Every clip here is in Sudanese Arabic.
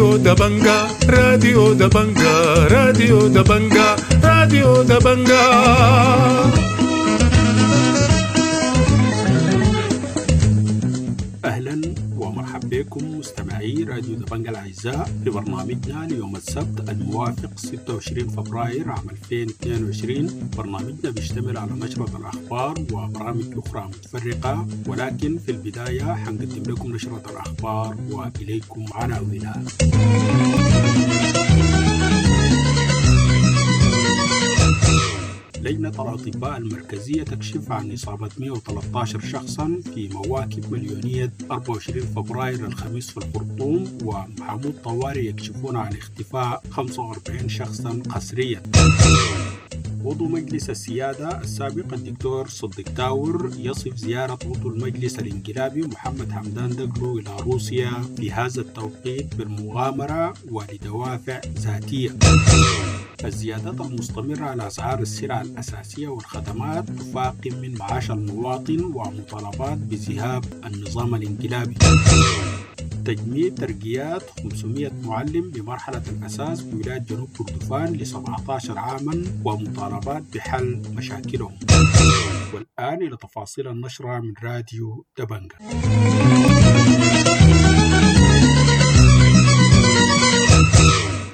راديو دبنجا، راديو دبنجا، راديو دبنجا، راديو دبنجا. أهلا ومرحبا بكم مستمعي راديو دبنجا الأعزاء في برنامجنا ليوم السبت الموافق 26 فبراير عام 2022. برنامجنا بيشتمل على نشرة الأخبار وبرامج أخرى متفرقة، ولكن في البداية حنقدم لكم نشرة الأخبار وإليكم عناوينها. لجنة الأطباء المركزية تكشف عن إصابة 113 شخصا في مواكب مليونية 24 فبراير الخميس في الخرطوم، ومحامو طوارئ يكشفون عن اختفاء 45 شخصا قسريا. عضو مجلس السيادة السابق الدكتور صديق تاور يصف زيارة عضو المجلس الانقلابي محمد حمدان دقلو إلى روسيا في هذا التوقيت بالمغامرة ولدوافع ذاتية. الزيادات المستمرة على أسعار السلع الأساسية والخدمات تفاقم من معاش المواطن ومطالبات بذهاب النظام الانقلابي. تجميد ترقيات 500 معلم بمرحلة الأساس بولاية جنوب كردفان ل 17 عاما ومطالبات بحل مشاكلهم. والآن إلى تفاصيل النشرة من راديو دبنجا.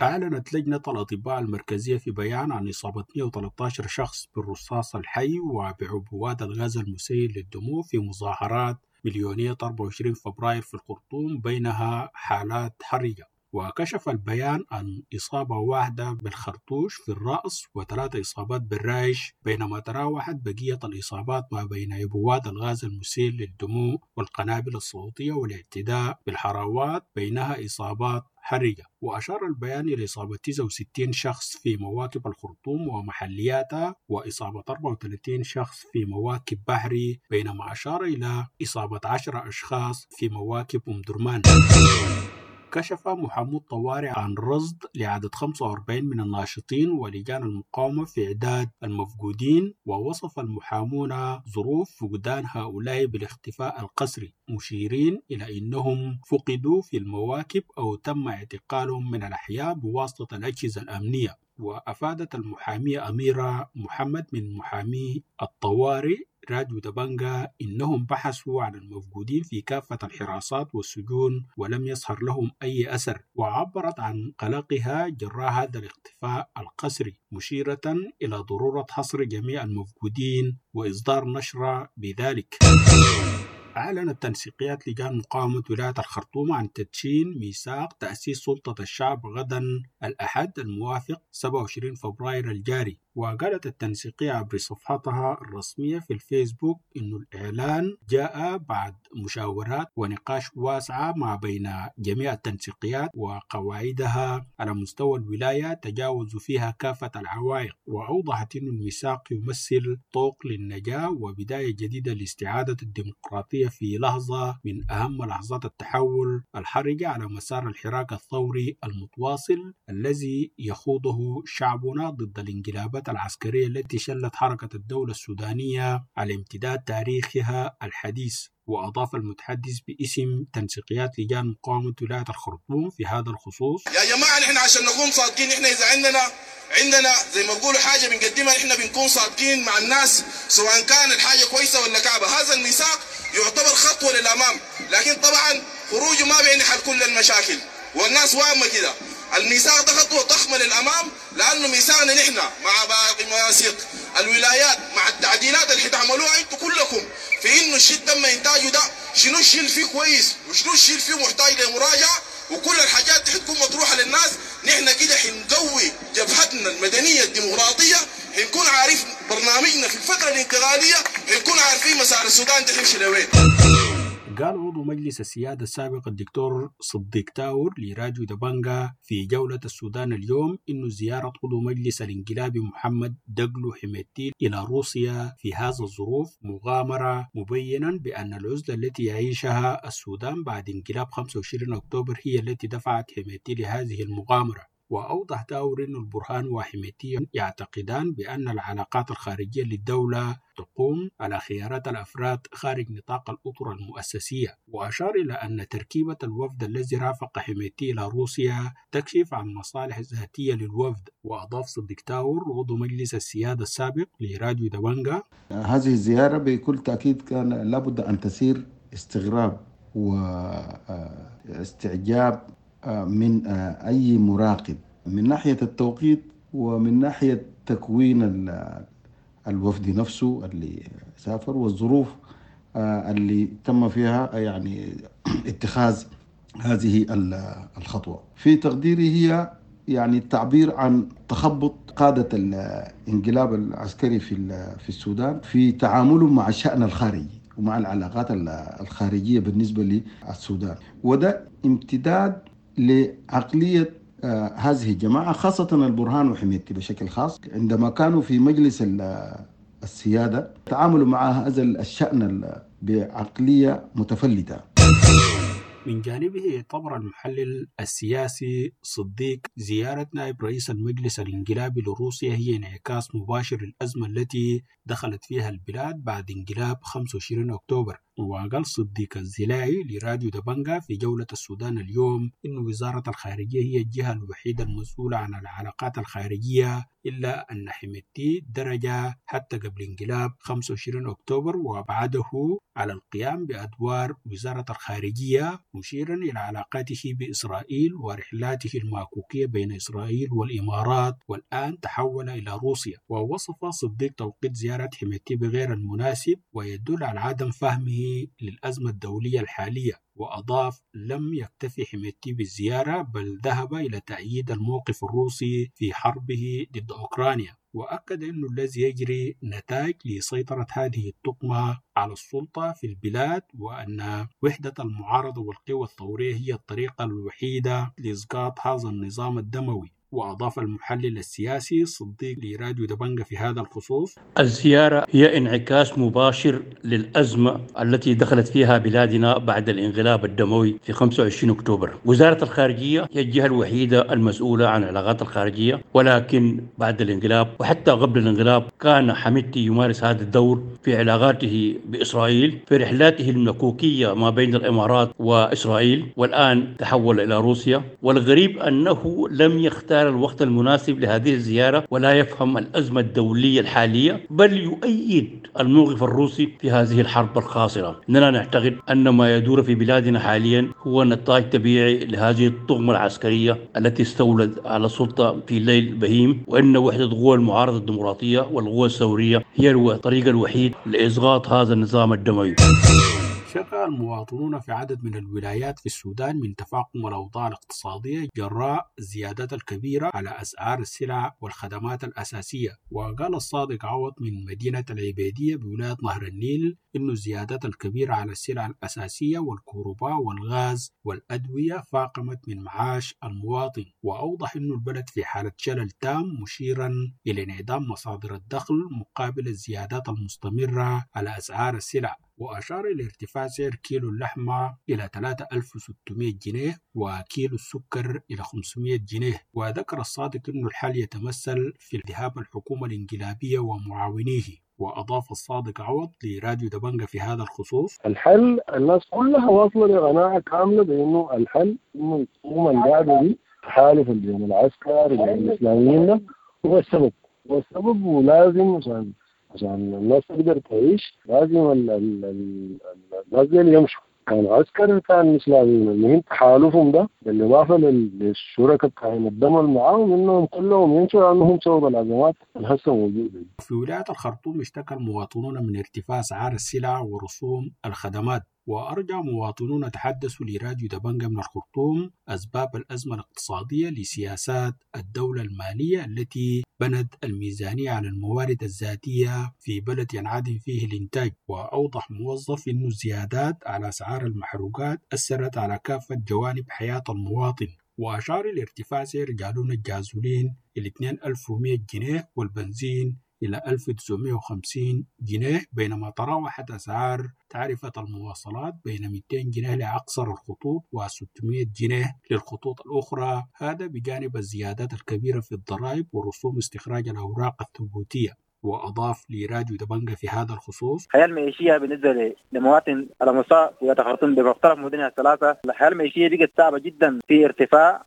أعلنت لجنة الأطباء المركزية في بيان عن إصابة 113 شخص بالرصاص الحي وبعبوات الغاز المسيل للدموع في مظاهرات مليونية 24 فبراير في الخرطوم، بينها حالات حرجة. وكشف البيان عن إصابة واحدة بالخرطوش في الرأس وثلاث إصابات بالرايش، بينما تراوحت بقية الإصابات ما بين عبوات الغاز المسيل للدموع والقنابل الصوتية والاعتداء بالحراوات، بينها إصابات حرجة. وأشار البيان إلى إصابة 69 شخص في مواكب الخرطوم ومحلياتها وإصابة 34 شخص في مواكب بحري، بينما أشار إلى إصابة 10 أشخاص في مواكب أم درمان. كشف محامو الطوارئ عن رصد لعدد 45 من الناشطين ولجان المقاومة في إعداد المفقودين، ووصف المحامون ظروف فقدان هؤلاء بالاختفاء القسري، مشيرين إلى أنهم فقدوا في المواكب أو تم اعتقالهم من الأحياء بواسطة الأجهزة الأمنية. وأفادت المحامية أميرة محمد من محامي الطوارئ راديو دبنجا إنهم بحثوا عن المفقودين في كافة الحراسات والسجون ولم يظهر لهم أي أثر، وعبرت عن قلقها جراء هذا الاختفاء القسري، مشيرة إلى ضرورة حصر جميع المفقودين وإصدار نشرة بذلك. أعلنت تنسيقيات لجان مقاومة ولاية الخرطوم عن تدشين ميثاق تأسيس سلطة الشعب غدا الأحد الموافق 27 فبراير الجاري. وقالت التنسيقية عبر صفحتها الرسمية في الفيسبوك إنه الإعلان جاء بعد مشاورات ونقاش واسعة ما بين جميع التنسيقيات وقواعدها على مستوى الولاية تجاوزوا فيها كافة العوائق. وأوضحت أن الميثاق يمثل طوق للنجاة وبداية جديدة لاستعادة الديمقراطية في لحظة من أهم لحظات التحول الحرجة على مسار الحراك الثوري المتواصل الذي يخوضه شعبنا ضد الانقلابات العسكرية التي شلت حركة الدولة السودانية على امتداد تاريخها الحديث. وأضاف المتحدث باسم تنسيقيات لجان مقاومة ولاية الخرطوم في هذا الخصوص: يا جماعة نحن عشان نكون صادقين، نحن إذا عندنا زي ما بيقولوا حاجة بنقدمها نحن بنكون صادقين مع الناس، سواء كان الحاجة كويسة ولا كعبة. هذا الميثاق يعتبر خطوة للأمام، لكن طبعا خروجه ما بيعني حل كل المشاكل والناس واهمة كده. الميثاق ده خطوة ضخمة للأمام، لأنه ميثاقنا نحن مع باقي مواثيق الولايات مع التعديلات اللي حتعملوها انتوا كلكم في انه الشيء تم انتاجه ده شنو الشيء اللي فيه كويس وشنو الشيء اللي فيه محتاج لمراجعة، وكل الحاجات دي حتكون مطروحة للناس. نحن كده حنقوي جبهتنا المدنية الديمقراطية، حنكون عارف برنامجنا في الفترة الانتقالية، حنكون عارفين مسار السودان ده حيمشي لوين. قال عضو مجلس السيادة السابق الدكتور صديق تاور لراديو دبنجا في جولة السودان اليوم إنه زيارة عضو مجلس الانقلابي محمد دقلو حميدتي إلى روسيا في هذا الظروف مغامرة، مبينا بأن العزلة التي يعيشها السودان بعد انقلاب 25 أكتوبر هي التي دفعت حميدتي لهذه المغامرة. وأوضح تاور أن البرهان وحميدتي يعتقدان بأن العلاقات الخارجية للدولة تقوم على خيارات الأفراد خارج نطاق الأطر المؤسسية. وأشار إلى أن تركيبة الوفد الذي رافق حميدتي إلى روسيا تكشف عن مصالح ذاتية للوفد. وأضاف صديق تاور عضو مجلس السيادة السابق لراديو دبنجا: هذه الزيارة بكل تأكيد كان لابد أن تثير استغراب واستعجاب من أي مراقب من ناحية التوقيت ومن ناحية تكوين الوفد نفسه اللي سافر والظروف اللي تم فيها يعني اتخاذ هذه الخطوة. في تقديري هي يعني التعبير عن تخبط قادة الانقلاب العسكري في السودان في تعاملهم مع الشأن الخارجي ومع العلاقات الخارجية بالنسبة للسودان، وده امتداد لعقلية هذه الجماعة، خاصة البرهان وحميدتي بشكل خاص. عندما كانوا في مجلس السيادة تعاملوا مع هذا الشأن بعقلية متفلتة. من جانبه اعتبر المحلل السياسي صديق زيارة نائب رئيس المجلس الانقلابي لروسيا هي انعكاس مباشر للأزمة التي دخلت فيها البلاد بعد انقلاب 25 أكتوبر. وقال صديق الزلاعي لراديو دبنجا في جولة السودان اليوم إن وزارة الخارجية هي الجهة الوحيدة المسؤولة عن العلاقات الخارجية، إلا أن حميدتي درج حتى قبل انقلاب 25 أكتوبر وأبعده على القيام بأدوار وزارة الخارجية، مشيرا إلى علاقاته بإسرائيل ورحلاته الماكوكية بين إسرائيل والإمارات، والآن تحول إلى روسيا. ووصف صديق توقيت زيارة حميدتي بغير المناسب ويدل على عدم فهمه للأزمة الدولية الحالية. وأضاف لم يكتفي حميدتي بالزيارة بل ذهب إلى تأييد الموقف الروسي في حربه ضد أوكرانيا، وأكد أنه الذي يجري نتائج لسيطرة هذه التقمة على السلطة في البلاد، وأن وحدة المعارضة والقوى الثورية هي الطريقة الوحيدة لإسقاط هذا النظام الدموي. وأضاف المحلل السياسي صديق لراديو دبنجا في هذا الخصوص: الزيارة هي انعكاس مباشر للأزمة التي دخلت فيها بلادنا بعد الانقلاب الدموي في 25 أكتوبر. وزارة الخارجية هي الجهة الوحيدة المسؤولة عن العلاقات الخارجية، ولكن بعد الانقلاب وحتى قبل الانقلاب كان حميدتي يمارس هذا الدور في علاقاته بإسرائيل، في رحلاته المكوكية ما بين الإمارات وإسرائيل، والآن تحول إلى روسيا. والغريب أنه لم يختار الوقت المناسب لهذه الزيارة ولا يفهم الأزمة الدولية الحالية، بل يؤيد الموقف الروسي في هذه الحرب الخاسرة. إننا نعتقد أن ما يدور في بلادنا حاليا هو نتاج طبيعي لهذه الطغمة العسكرية التي استولت على السلطة في ليل بهيم، وأن وحدة قوى المعارضة الديمقراطية والقوى الثورية هي الطريق الوحيد لإسقاط هذا النظام الدموي. شكى المواطنون في عدد من الولايات في السودان من تفاقم الأوضاع الاقتصادية جراء الزيادات الكبيرة على أسعار السلع والخدمات الأساسية. وقال الصادق عوض من مدينة العبيدية بولاية نهر النيل إن الزيادات الكبيرة على السلع الأساسية والكهرباء والغاز والأدوية فاقمت من معاش المواطن. وأوضح أن البلد في حالة شلل تام، مشيرا إلى انعدام مصادر الدخل مقابل الزيادات المستمرة على أسعار السلع. وأشار إلى ارتفاع سعر كيلو اللحمة إلى 3600 جنيه وكيلو السكر إلى 500 جنيه. وذكر الصادق أن الحال يتمثل في ذهاب الحكومة الانقلابية ومعاونيه. وأضاف الصادق عوض لراديو دبنجا في هذا الخصوص: الحل الناس كلها واصلة لقناعة كاملة بأنه الحل إنه الحكومة القاعدة دي تحالف بين العسكر وبين الإسلاميين هو السبب، هو السبب، ولازم عشان الناس تقدر تعيش لازم الناس دي يمشوا، كان عسكر كان اسلاميين. المهم تحالفهم ده بالاضافه للشركاء بتاعين الدم اللي معاهم انهم كلهم يمشوا لانهم سبب الازمات الهسه موجوده. في ولايه الخرطوم اشتكى المواطنون من ارتفاع اسعار السلع ورسوم الخدمات. وأرجع مواطنون تحدثوا لراديو دبنجا من الخرطوم أسباب الأزمة الاقتصادية لسياسات الدولة المالية التي بنت الميزانية على الموارد الذاتية في بلد ينعدم فيه الإنتاج. وأوضح موظف أن الزيادات على أسعار المحروقات أثرت على كافة جوانب حياة المواطن. وأشار إلى ارتفاع سعر جالون الجازولين إلى 2100 جنيه والبنزين إلى 1950 جنيه، بينما تراوحت أسعار تعرفة المواصلات بين 200 جنيه لأقصر الخطوط و600 جنيه للخطوط الأخرى، هذا بجانب الزيادات الكبيرة في الضرائب ورسوم استخراج الأوراق الثبوتية. وأضاف لراديو دبنجة في هذا الخصوص: الحياة المعيشية بالنسبة لمواطن على مستوى ولاية الخرطوم بمختلف مدنها الثلاثة، الحياة المعيشية بقت صعبة جدا، في ارتفاع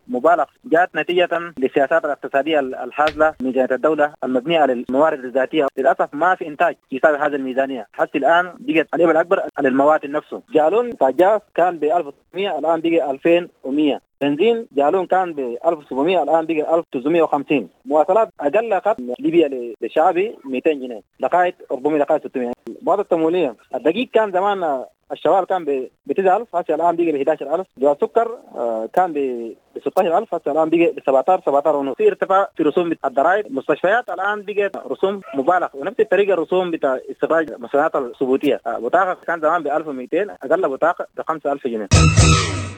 مبالغ جاءت نتيجة للسياسات الاقتصادية الحازلة من جانب الدولة المبنية على الموارد الذاتية. للأسف ما في إنتاج يساوي هذه الميزانية، حتى الآن بقت العبء الأكبر على المواطن نفسه. جالون جاز كان ب 1600 الآن بقى 2100، بنزين جالون كان ب 1700 الان بقى 1950، مواصلات اقل خط ليبيا للشعبي 200 جنيه لغايه 400 لغايه 600. المواد التموينيه الدقيق كان زمان الشوال كان ب 9000 هسه الان بقى ب 11000، جوا السكر كان ب 16000 هسه الان بقى ب 17 ونص. في ارتفاع في رسوم الضرائب، المستشفيات الان بقت رسوم مبالغ، ونفس الطريقه الرسوم بتاع استخراج المستندات الثبوتيه، بطاقه كان زمان ب 1200 اقل بطاقه ب 5000 جنيه.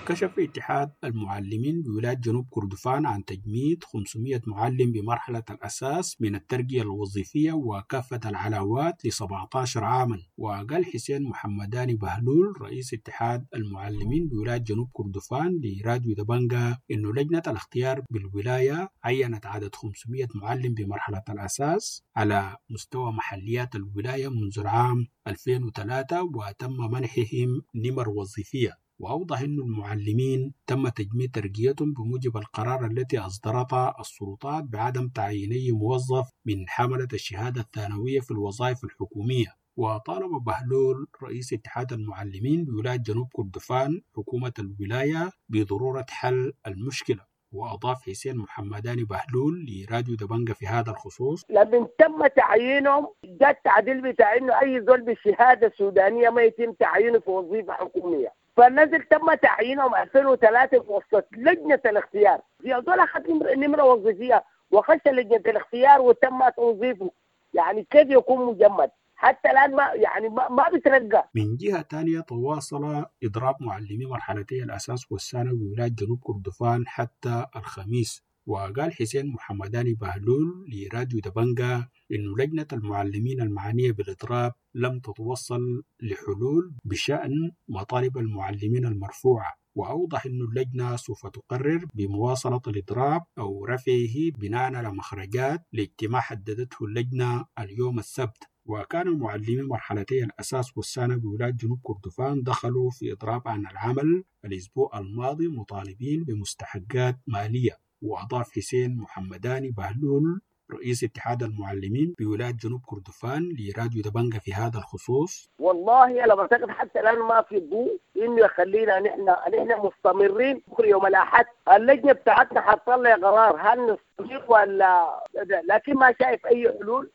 كشف اتحاد المعلمين بولاية جنوب كردفان عن تجميد 500 معلم بمرحلة الأساس من الترقية الوظيفية وكافة العلاوات ل 17 عاما. وقال حسين محمداني بهلول رئيس اتحاد المعلمين بولاية جنوب كردفان لراديو دبنجا إنه لجنة الاختيار بالولاية عينت عدد 500 معلم بمرحلة الأساس على مستوى محليات الولاية منذ العام 2003 وتم منحهم نمر وظيفية. وأوضح أن المعلمين تم تجميد ترقيتهم بموجب القرار التي أصدرتها السلطات بعدم تعيين أي موظف من حملة الشهادة الثانوية في الوظائف الحكومية. وطالب بهلول رئيس اتحاد المعلمين بولاية جنوب كردفان حكومة الولاية بضرورة حل المشكلة. وأضاف حسين محمداني بهلول لراديو دبنجة في هذا الخصوص: لما تم تعيينهم جاء التعديل بتاع انه اي زول بالشهاده السودانيه ما يتم تعيينه في وظيفه حكوميه، فالنزل تم تعيينهم 2003 في وسط لجنه الاختيار، في زول اخذ نمره وظيفيه وخش لجنه الاختيار وتم توظيفه، يعني كيف يكون مجمد؟ حتى الان ما يعني ما بترقى. من جهه ثانيه تواصل اضراب معلمي مرحلتي الاساس والثانوي بولايه جنوب كردفان حتى الخميس. وقال حسين محمداني بهلول لراديو دبنجا إنه لجنة المعلمين المعنية بالإضراب لم تتوصل لحلول بشأن مطالب المعلمين المرفوعة. وأوضح أن اللجنة سوف تقرر بمواصلة الإضراب أو رفعه بناء على مخرجات لاجتماع حددته اللجنة اليوم السبت. وكان معلمي مرحلتي الأساس والثانوي بولاية جنوب كردفان دخلوا في إضراب عن العمل الأسبوع الماضي مطالبين بمستحقات مالية. وأضاف حسين محمداني بهلول رئيس اتحاد المعلمين بولاية جنوب كردفان لراديو دبنجة في هذا الخصوص: والله أنا بعتقد حتى الآن ما في ضوء إنه يخلينا نحن مستمرين. بكرة يوم الأحد اللجنة بتاعتنا حتطلع قرار هل نستمر ولا، لكن ما شايف أي حلول.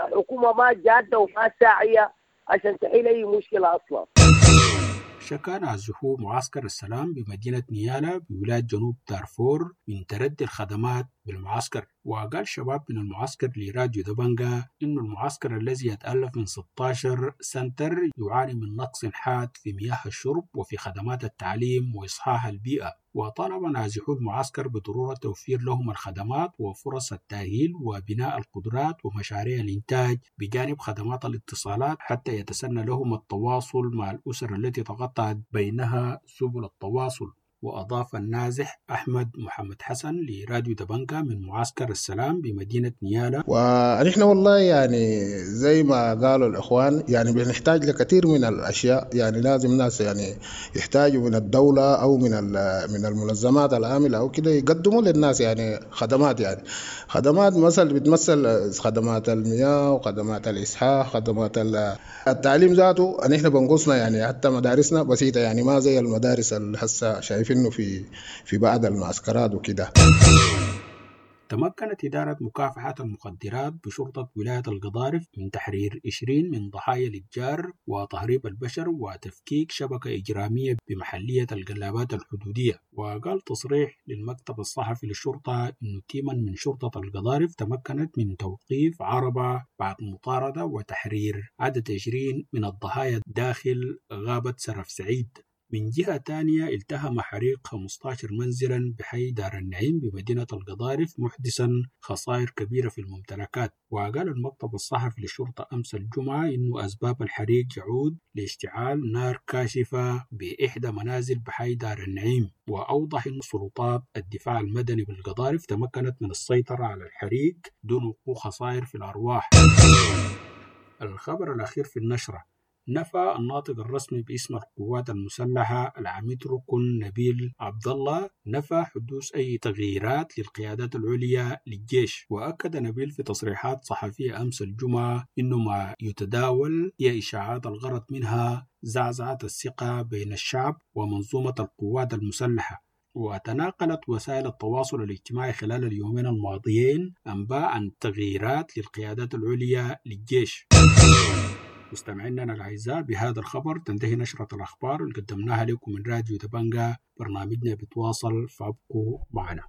الحكومة ما جادة وما ساعية عشان تحل أي مشكلة أصلا. شكا نازحو معسكر السلام بمدينة نيالا بولاية جنوب دارفور من تردي الخدمات بالمعسكر. وقال شباب من المعسكر لراديو دبنجا إن المعسكر الذي يتألف من 16 سنتر يعاني من نقص حاد في مياه الشرب وفي خدمات التعليم وإصحاح البيئة. وطالب نازحو المعسكر بضرورة توفير لهم الخدمات وفرص التأهيل وبناء القدرات ومشاريع الإنتاج بجانب خدمات الاتصالات حتى يتسنى لهم التواصل مع الأسر التي تقطعت بينها سبل التواصل. وأضاف النازح أحمد محمد حسن لراديو دبنكا من معسكر السلام بمدينة نيالا: ونحن والله يعني زي ما قالوا الإخوان يعني بنحتاج لكثير من الأشياء، يعني لازم ناس يعني يحتاجوا من الدولة أو من المنظمات العاملة أو كده يقدموا للناس يعني خدمات، يعني خدمات مثلا بتمثل خدمات المياه وخدمات الإسعاف، خدمات التعليم ذاته. نحن بنقصنا يعني حتى مدارسنا بسيطة، يعني ما زي المدارس اللي هسه شايفين في بعض المعسكرات وكده. تمكنت إدارة مكافحة المخدرات بشرطة ولاية القضارف من تحرير 20 من ضحايا الإتجار وتهريب البشر وتفكيك شبكة إجرامية بمحلية القلابات الحدودية. وقال تصريح للمكتب الصحفي للشرطة إنه تيما من شرطة القضارف تمكنت من توقيف عربة بعد مطاردة وتحرير عدد 20 من الضحايا داخل غابة سرف سعيد. من جهة تانية، التهم حريق 15 منزلا بحي دار النعيم بمدينة القضارف، محدثا خسائر كبيرة في الممتلكات. وقال المكتب الصحفي للشرطة أمس الجمعة إنه أسباب الحريق يعود لاشتعال نار كاشفة بإحدى منازل بحي دار النعيم. وأوضح أن سلطات الدفاع المدني بالقضارف تمكنت من السيطرة على الحريق دون وقوع خسائر في الأرواح. الخبر الأخير في النشرة: نفى الناطق الرسمي باسم القوات المسلحة العميد ركن نبيل عبد الله، نفى حدوث أي تغييرات للقيادات العليا للجيش. وأكد نبيل في تصريحات صحفية أمس الجمعة إنه ما يتداول هي إشاعات الغرض منها زعزعة الثقة بين الشعب ومنظومة القوات المسلحة. وتناقلت وسائل التواصل الاجتماعي خلال اليومين الماضيين أنباء عن تغييرات للقيادات العليا للجيش. مستمعينا الأعزاء، بهذا الخبر تنتهي نشرة الأخبار اللي قدمناها لكم من راديو دبنجا. برنامجنا بتواصل، فابقوا معنا.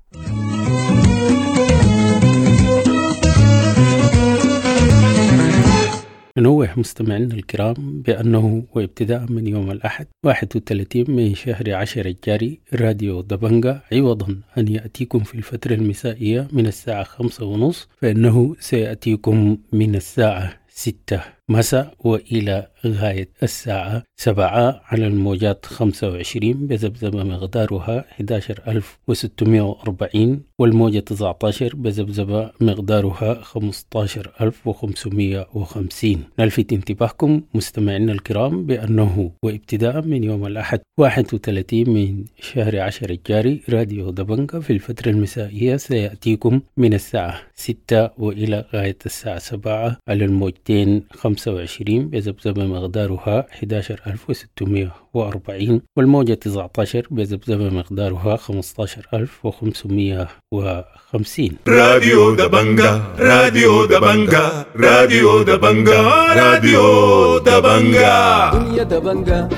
ننوه مستمعينا الكرام بأنه وابتداء من يوم الأحد 31 من شهر 10 الجاري، راديو دبنجا عوضا أن يأتيكم في الفترة المسائية من الساعة 5:30، فإنه سيأتيكم من الساعة 6 مساء وإلى غاية الساعة 7 على الموجات 25 بذبذبة مقدارها 11640، والموجة 19 بذبذبة مقدارها 15550. نلفت انتباهكم مستمعينا الكرام بأنه وابتداء من يوم الأحد 31 من شهر 10 الجاري، راديو دبنجا في الفترة المسائية سيأتيكم من الساعة 6 وإلى غاية الساعة 7 على الموجتين 25 بذبذبة مقدارها 11640، والموجة 19 بذبذبة مقدارها 15550. راديو دبنجا، راديو دبنجا، راديو دبنجا، راديو دبنجا. دنيا دبنجا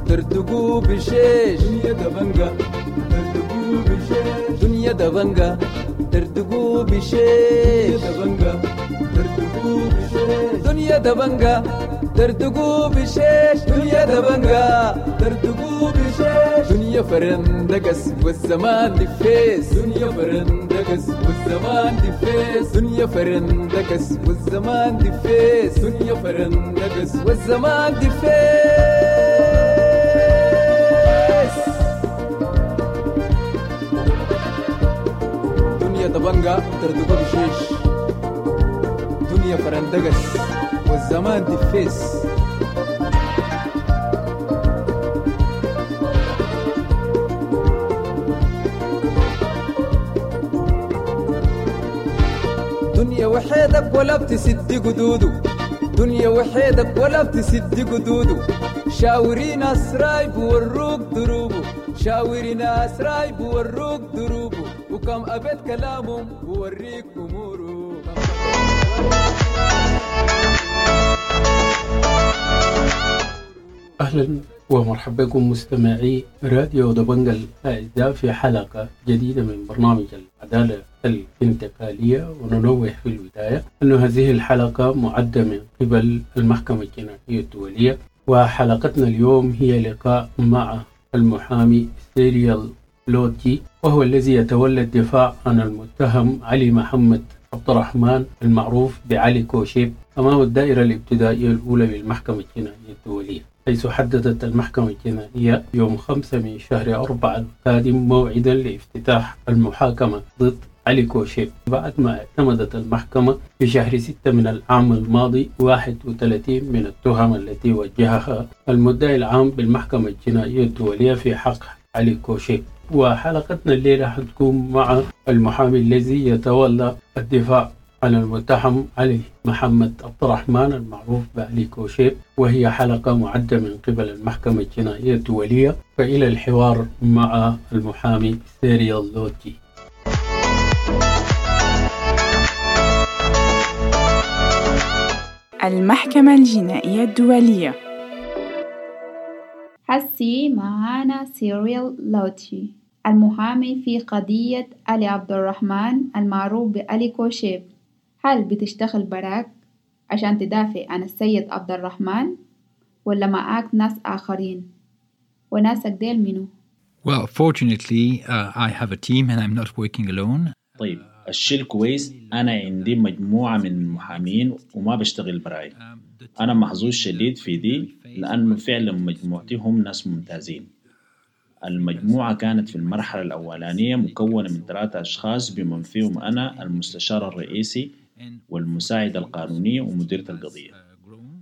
ترتقو بشيش، دنيا دبنجا ترتقو بشيش، دنيا دبنجا ترتقو بشيش، دبنجا ترتقو بشيش، دنيا دبنجا ترتقو بشيش، دنيا دبنجا ترتقو بشيش، دنيا فرندقس والزمان دفيس، دنيا فرندقس والزمان دفيس، دنيا فرندقس والزمان دفيس، دنيا فرندقس والزمان دفيس. دنيا دبنجا ترتقو بشيش، دنيا فرندقس والزمان دفيس. دنيا وحيدك ولا بتسد قدوده، دنيا وحيدك ولا بتسد قدوده، شاوري ناس رايب وروك دروبه، شاوري ناس رايب وروك دروبه، وكم أبد كلامهم بوريك أموره. أهلا ومرحبا بكم مستمعي راديو دبنجا الأعزاء في حلقة جديدة من برنامج العدالة الانتقالية. وننوه في البداية أن هذه الحلقة معدة من قبل المحكمة الجنائية الدولية، وحلقتنا اليوم هي لقاء مع المحامي سيريال لوتي، وهو الذي يتولى الدفاع عن المتهم علي محمد عبد الرحمن المعروف بعلي كوشيب أمام الدائرة الابتدائية الأولى للمحكمة الجنائية الدولية، حيث حددت المحكمة الجنائية يوم 5 من شهر 4 القادم موعدا لافتتاح المحاكمة ضد علي كوشيب، بعد ما اعتمدت المحكمة في شهر 6 من العام الماضي 31 من التهم التي وجهها المدعي العام بالمحكمة الجنائية الدولية في حق علي كوشيب. وحلقتنا الليلة حتكون مع المحامي الذي يتولى الدفاع عن المتهم علي محمد عبد الرحمن المعروف بعلي كوشيب، وهي حلقة معدة من قبل المحكمة الجنائية الدولية. فإلى الحوار مع المحامي سيريال لوتي. المحكمة الجنائية الدولية. حسي معانا سيريل لوتي المحامي في قضية علي عبد الرحمن المعروف بعلي كوشيب. هل بتشتغل براك عشان تدافع عن السيد عبد الرحمن ولا معاك ناس آخرين؟ وناسك ديل منو؟ Well, fortunately, I have a team and I'm not working alone. طيب، الشيء الكويس أنا عندي مجموعة من المحامين وما بشتغل براي. أنا محظوظ شديد في دي لأنه فعلا مجموعتي هم ناس ممتازين. المجموعة كانت في المرحلة الأولانية مكونة من 3 أشخاص بمن فيهم أنا المستشار الرئيسي والمساعد القانوني ومديرة القضية.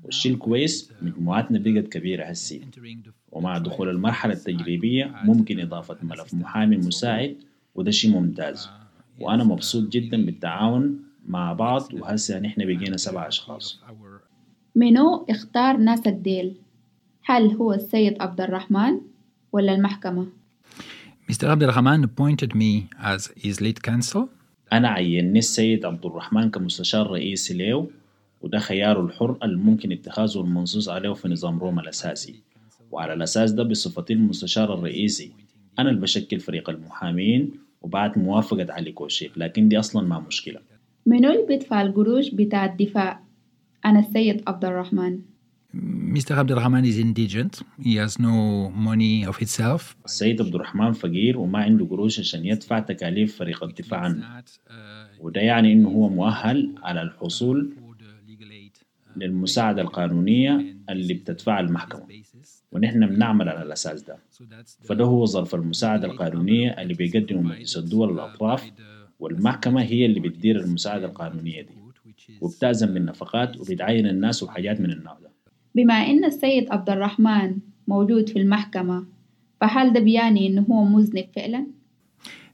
والشيء الكويس مجموعتنا بقت كبيرة هسي، ومع دخول المرحلة التجريبية ممكن إضافة ملف محامي مساعد، وده شيء ممتاز. وأنا مبسوط جدا بالتعاون مع بعض، وهسه نحن بقينا 7 أشخاص. منو اختار ناسك ديل؟ هل هو السيد عبد الرحمن ولا المحكمة؟ Mr. Abdelrahman appointed me as his lead counsel. أنا عيني السيد عبد الرحمن كمستشار رئيسي له، وده خياره الحر الممكن اتخاذه المنصوص عليه في نظام روما الأساسي. وعلى الأساس ده بصفتي المستشار الرئيسي أنا اللي بشكل فريق المحامين وبعد موافقة علي كوشيب، لكن دي أصلا ما مشكلة. منو اللي بيدفع القروش بتاع الدفاع؟ أنا السيد عبد الرحمن. Mr. Abdelrahman is indigent. He has no money of himself. السيد عبد الرحمن فقير وما عنده قروش عشان يدفع تكاليف فريق الدفاع عنه، وده يعني إنه هو مؤهل على الحصول للمساعدة القانونية اللي بتدفعها المحكمة، ونحن بنعمل على الأساس ده. فده هو ظرف المساعدة القانونية اللي بيقدمه مجلس الدول الأطراف، والمحكمة هي اللي بتدير المساعدة القانونية دي وبتأذن بالنفقات وبتعين الناس وحاجات من النوع ده. بما إن السيد عبد الرحمن موجود في المحكمة، فهل ده بيعني إنه هو مذنب فعلا؟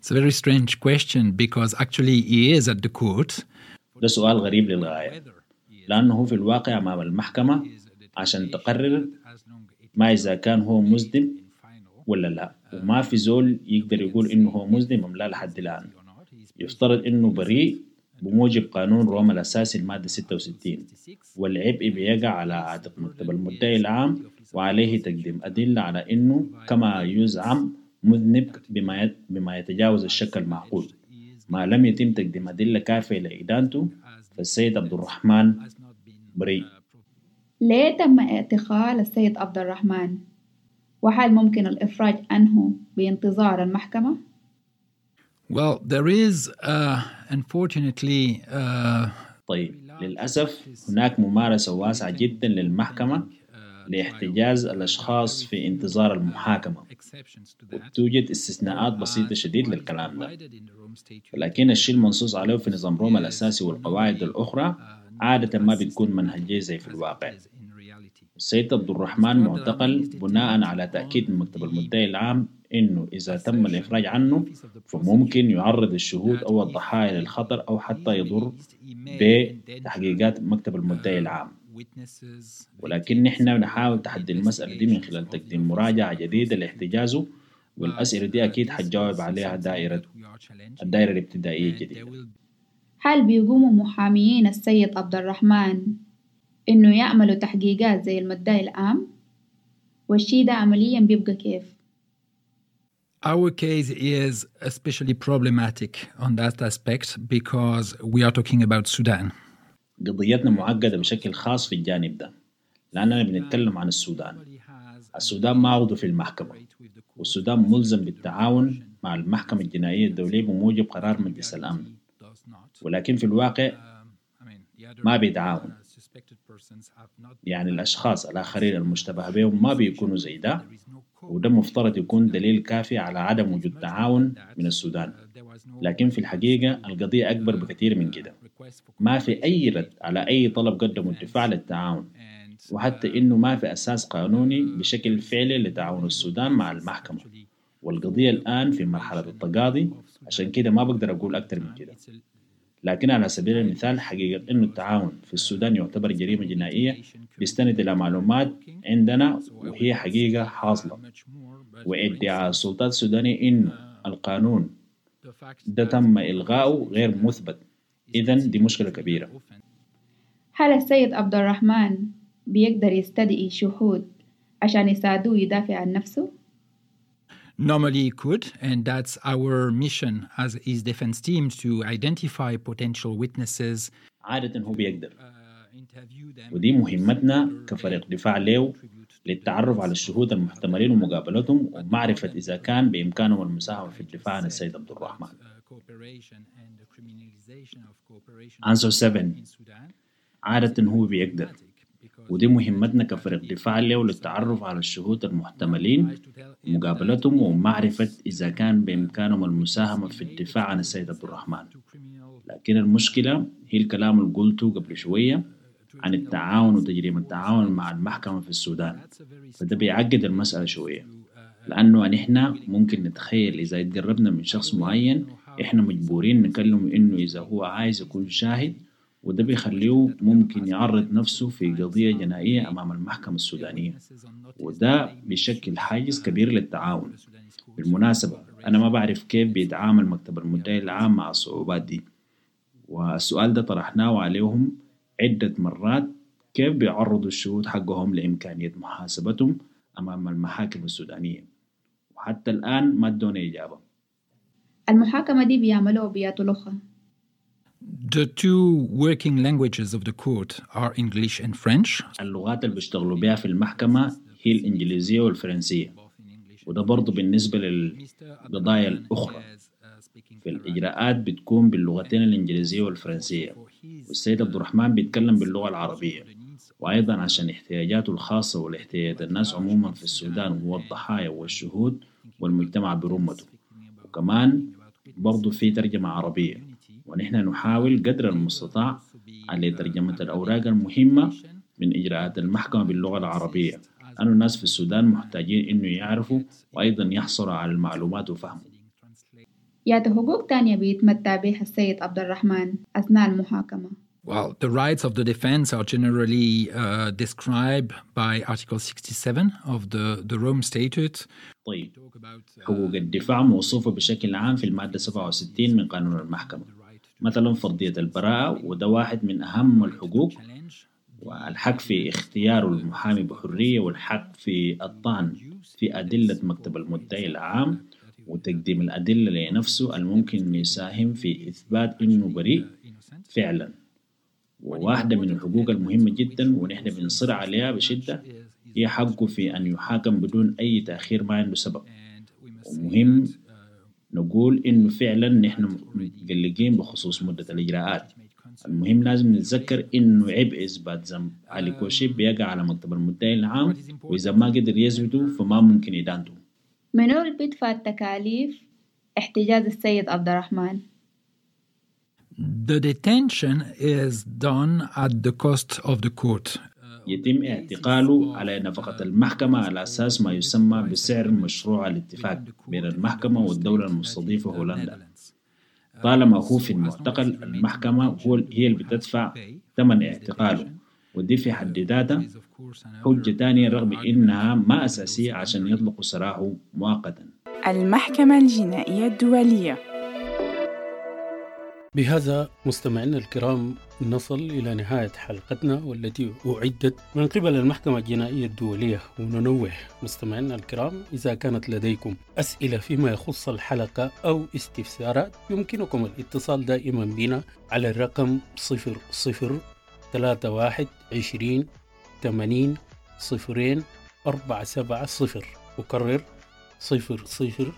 It's a very strange question because actually he is at the court. ده سؤال غريب للغاية، لأنه هو في الواقع أمام المحكمة عشان تقرر ما إذا كان هو مذنب ولا لا، وما في زول يقدر يقول إنه هو مذنب أم لا لحد الآن. يفترض إنه بريء بموجب قانون روما الأساسي المادة 66، والعبء بيقع على عاتق مكتب المدعي العام، وعليه تقديم أدلة على إنه كما يزعم مذنب بما يتجاوز الشك المعقول. ما لم يتم تقديم أدلة كافية لإدانته فالسيد عبد الرحمن بريء. ليه تم اعتقال السيد عبد الرحمن؟ وهل ممكن الإفراج عنه بانتظار المحكمة؟ Well, there is unfortunately طيب، للأسف هناك ممارسة واسعة جدا للمحكمة لاحتجاز الأشخاص في انتظار المحاكمة، وتوجد استثناءات بسيطة شديد للكلام ده، لكن الشيء المنصوص عليه في نظام روما الأساسي والقواعد الأخرى عادة ما بتكون منهجية زي في الواقع. السيد عبد الرحمن معتقل بناء على تأكيد من مكتب المدعي العام إنه إذا تم الإفراج عنه فممكن يعرض الشهود أو الضحايا للخطر أو حتى يضر بتحقيقات مكتب المدعي العام. ولكن نحن نحاول تحدي المسألة دي من خلال تقديم مراجعة جديدة لاحتجازه، والأسئلة دي أكيد حتجاوب عليها الدائرة الابتدائية الجديدة. هل بيقوموا محاميين السيد عبد الرحمن إنه يعملوا تحقيقات زي المدعي العام؟ والشي ده عمليا بيبقى كيف؟ Our case is especially problematic on that aspect because we are talking about Sudan. قضيتنا معقدة بشكل خاص في الجانب ده لأننا بنتكلم عن السودان. السودان ما عضو في المحكمة، والسودان ملزم بالتعاون مع المحكمة الجنائية الدولية بموجب قرار مجلس الأمن، ولكن في الواقع ما بيتعاون. يعني الأشخاص الآخرين المشتبه بهم ما بيكونوا زي ده، وده مفترض يكون دليل كافي على عدم وجود تعاون من السودان، لكن في الحقيقة القضية أكبر بكثير من كده. ما في أي رد على أي طلب قدمه الدفاع للتعاون، وحتى إنه ما في أساس قانوني بشكل فعلي لتعاون السودان مع المحكمة، والقضية الآن في مرحلة التقاضي، عشان كده ما بقدر أقول أكتر من كده. لكن على سبيل المثال حقيقة إنه التعاون في السودان يعتبر جريمة جنائية بيستند إلى معلومات عندنا وهي حقيقة حاصلة، وادعاء السلطات السودانية إنه القانون ده تم إلغائه غير مثبت، إذن دي مشكلة كبيرة. هل السيد عبد الرحمن بيقدر يستدعي شهود عشان يساعدوه يدافع عن نفسه؟ Normally he could, and that's our mission as his defense team to identify potential witnesses. عادة هو بيقدر، ودي مهمتنا كفريق دفاع له للتعرف على الشهود المحتملين ومقابلتهم ومعرفة إذا كان بإمكانهم المساهمة في الدفاع عن السيد عبد الرحمن. Answer 7. عادة هو بيقدر، ودي مهمتنا كفريق دفاع له للتعرف على الشهود المحتملين ومقابلتهم ومعرفة إذا كان بإمكانهم المساهمة في الدفاع عن السيد عبد الرحمن. لكن المشكلة هي الكلام اللي قلته قبل شوية عن التعاون وتجريم التعاون مع المحكمة في السودان، فده بيعقد المسألة شوية، لأنه نحن ممكن نتخيل إذا اتقربنا من شخص معين إحنا مجبورين نكلمه إنه إذا هو عايز يكون شاهد، وده بيخليه ممكن يعرض نفسه في قضية جنائية أمام المحكمة السودانية، وده بيشكل حاجز كبير للتعاون. بالمناسبة أنا ما بعرف كيف بيتعامل مكتب المدعي العام مع الصعوبات دي، والسؤال ده طرحناه عليهم عدة مرات، كيف بيعرضوا الشهود حقهم لإمكانية محاسبتهم أمام المحاكم السودانية، وحتى الآن ما ادونا إجابة. المحاكمة دي بيعملوها بياتو لغة؟ The two working languages of the court are English and French. اللغات اللي بيشتغلوا بيها في المحكمة هي الإنجليزية والفرنسية، وده برضو بالنسبة للقضايا الأخرى. في الإجراءات بتكون باللغتين الإنجليزية والفرنسية، والسيد عبد الرحمن بيتكلم باللغة العربية، وأيضا عشان احتياجاته الخاصة والاحتياجات الناس عموما في السودان هو الضحايا والشهود والمجتمع برمته، وكمان برضو في ترجمة عربية، ونحن نحاول قدر المستطاع على ترجمة الأوراق المهمة من إجراءات المحكمة باللغة العربية، لأن الناس في السودان محتاجين إنه يعرفوا وأيضا يحصلوا على المعلومات وفهموا. ياتو حقوق تانية بيتمتع بها السيد عبد الرحمن أثناء المحاكمة؟ Well, the rights of the defense are generally described by Article 67 of the Rome Statute. طيب، حقوق الدفاع موصوفة بشكل عام في المادة 67 من قانون المحكمة، مثلا فرضية البراءة، وده واحد من أهم الحقوق، والحق في اختيار المحامي بحرية، والحق في الطعن في أدلة مكتب المدعي العام، وتقديم الأدلة لنفسه الممكن يساهم في إثبات إنه بريء فعلا. وواحدة من الحقوق المهمة جدا ونحن بنصر عليها بشدة هي حقه في أن يحاكم بدون أي تأخير ما عنده سبب. ومهم نقول إنه فعلا نحن متقلقين بخصوص مدة الإجراءات. المهم لازم نتذكر إنه عبء إثبات ذنب علي كوشيب بيقع على مكتب المدعي العام، وإذا ما قدر يثبته فما ممكن إدانته. منو اللي بيدفع التكاليف احتجاز السيد عبد الرحمن؟ The detention is done at the cost of the court. يتم اعتقاله على نفقة المحكمة على أساس ما يسمى بسعر مشروع الاتفاق بين المحكمة والدولة المستضيفة هولندا. طالما هو في المعتقل المحكمة هي اللي بتدفع ثمن اعتقاله، ودي في حد ذاتها حجة تانية رغم إنها ما أساسية عشان يطلقوا سراحه مؤقتا. المحكمة الجنائية الدولية. بهذا مستمعينا الكرام نصل إلى نهاية حلقتنا والتي أعدت من قبل المحكمة الجنائية الدولية. وننوه مستمعينا الكرام إذا كانت لديكم أسئلة فيما يخص الحلقة أو استفسارات يمكنكم الاتصال دائما بنا على الرقم 00 31 20 80 0 4 7 0. أكرر 00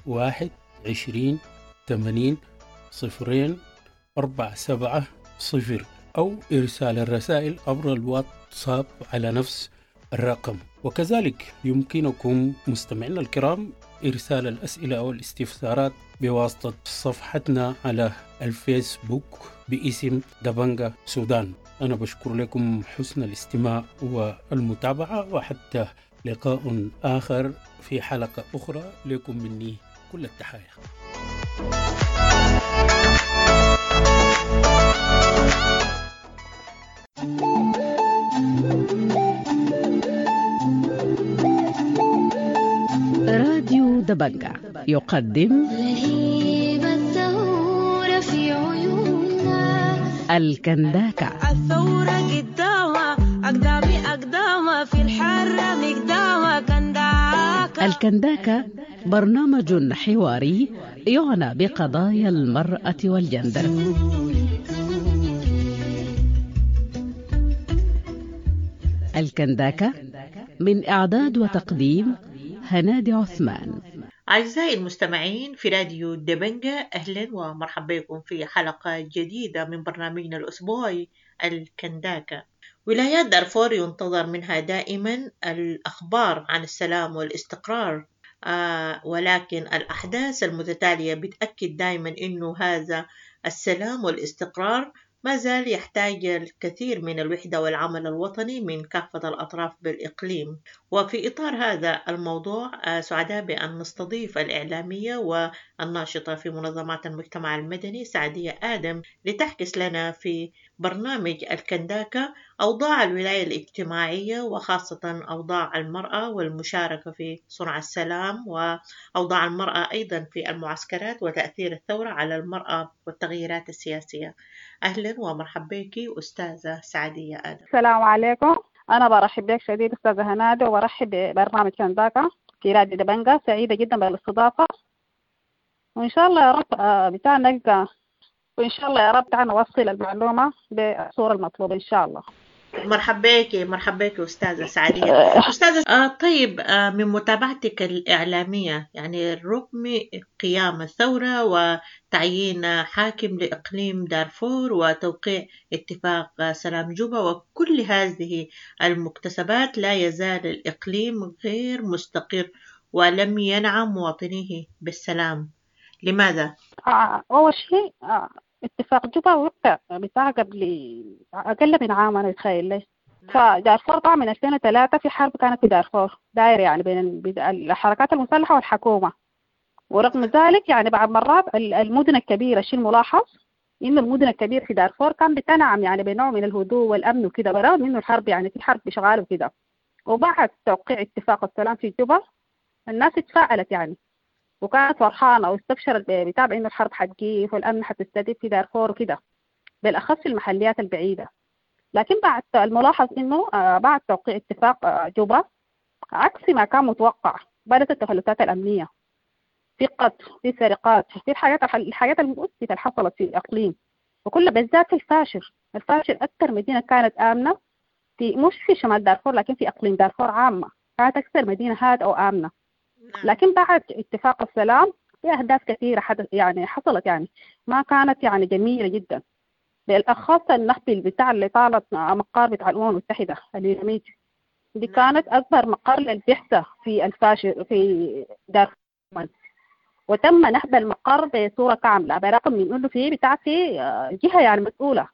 31 20 80 0 4 7 0، أو إرسال الرسائل عبر الواتساب على نفس الرقم. وكذلك يمكنكم مستمعينا الكرام إرسال الأسئلة أو الاستفسارات بواسطة صفحتنا على الفيسبوك باسم دبنجا سودان. أنا بشكر لكم حسن الاستماع والمتابعة، وحتى لقاء آخر في حلقة أخرى، لكم مني كل التحايا. راديو دبنجا يقدم لهيب الثورة في عيوننا الكنداكا. الثورة قدامها أقدامي أقدامها في الحرة مقدامها كنداكا. الكنداكا برنامج حواري يعنى بقضايا المرأة والجندر. الكنداكا من إعداد وتقديم هنادي عثمان. أعزائي المستمعين في راديو دبنجة، أهلا ومرحبا بكم في حلقة جديدة من برنامجنا الأسبوعي الكنداكا. ولايات دارفور ينتظر منها دائما الأخبار عن السلام والاستقرار، ولكن الأحداث المتتالية بتأكد دائما أنه هذا السلام والاستقرار ما زال يحتاج الكثير من الوحدة والعمل الوطني من كافة الأطراف بالإقليم. وفي إطار هذا الموضوع سعداء بأن نستضيف الإعلامية والناشطة في منظمات المجتمع المدني سعدية آدم لتحكس لنا في برنامج الكنداكا أوضاع الولاية الاجتماعية، وخاصة أوضاع المرأة والمشاركة في صنع السلام، وأوضاع المرأة أيضا في المعسكرات وتأثير الثورة على المرأة والتغييرات السياسية. أهلا ومرحبا بك أستاذة سعدية آدم. السلام عليكم، أنا برحب بك شديد أستاذة هنادي، وبرحب ببرنامج كنداكا في راديو دبنجا. سعيدة جدا بالاستضافة، وإن شاء الله يا رب بتاع نلقى، وإن شاء الله يا رب تعال نوصل المعلومة بالصورة المطلوبة إن شاء الله. مرحبا بك، مرحبا بك أستاذة سعدية. أستاذة طيب، من متابعتك الإعلامية، يعني رغم قيام الثورة وتعيين حاكم لإقليم دارفور وتوقيع اتفاق سلام جوبا وكل هذه المكتسبات، لا يزال الإقليم غير مستقر ولم ينعم مواطنيه بالسلام، لماذا؟ أول شيء اتفاق جوبا وقع بتاع قبل أقل من عام، أنا أتخيل لي. فدارفور طبعا من 2003 في حرب كانت في دارفور دايرة يعني بين الحركات المسلحة والحكومة، ورغم ذلك يعني بعض مرات المدن الكبيرة، الشيء الملاحظ إنه المدن الكبيرة في دارفور كان بتنعم يعني بنوع من الهدوء والأمن وكده، برغم إنه الحرب يعني في حرب شغالة وكده. وبعد توقيع اتفاق السلام في جوبا الناس اتفاعلت يعني، وكانت فرحانة واستبشرت بتاع إنه الحرب حتقيف والأمن حتستتب في دارفور وكده، بالأخص في المحليات البعيدة. لكن بعد الملاحظ إنه بعد توقيع اتفاق جوبا عكس ما كان متوقع، بدأت التفلتات الأمنية، في قتل، في سرقات، في الحاجات المؤسفة اللي حصلت في الإقليم، وكل بالذات في الفاشر. الفاشر أكثر مدينة كانت آمنة في، مش في شمال دارفور لكن في إقليم دارفور عامة، كانت أكثر مدينة هادئة وآمنة. لكن بعد اتفاق السلام في أهداف كثيرة حدث يعني حصلت، يعني ما كانت يعني جميلة جدا، بالأخص النهب بتاع اللي طالت مقر بتاع الأمم المتحدة اليوناميد، دي كانت أكبر مقر للبعثة في الفاشر في دارفور، وتم نهب المقر بصورة كاملة، برغم من إنه في بتاع في جهة يعني مسؤولة،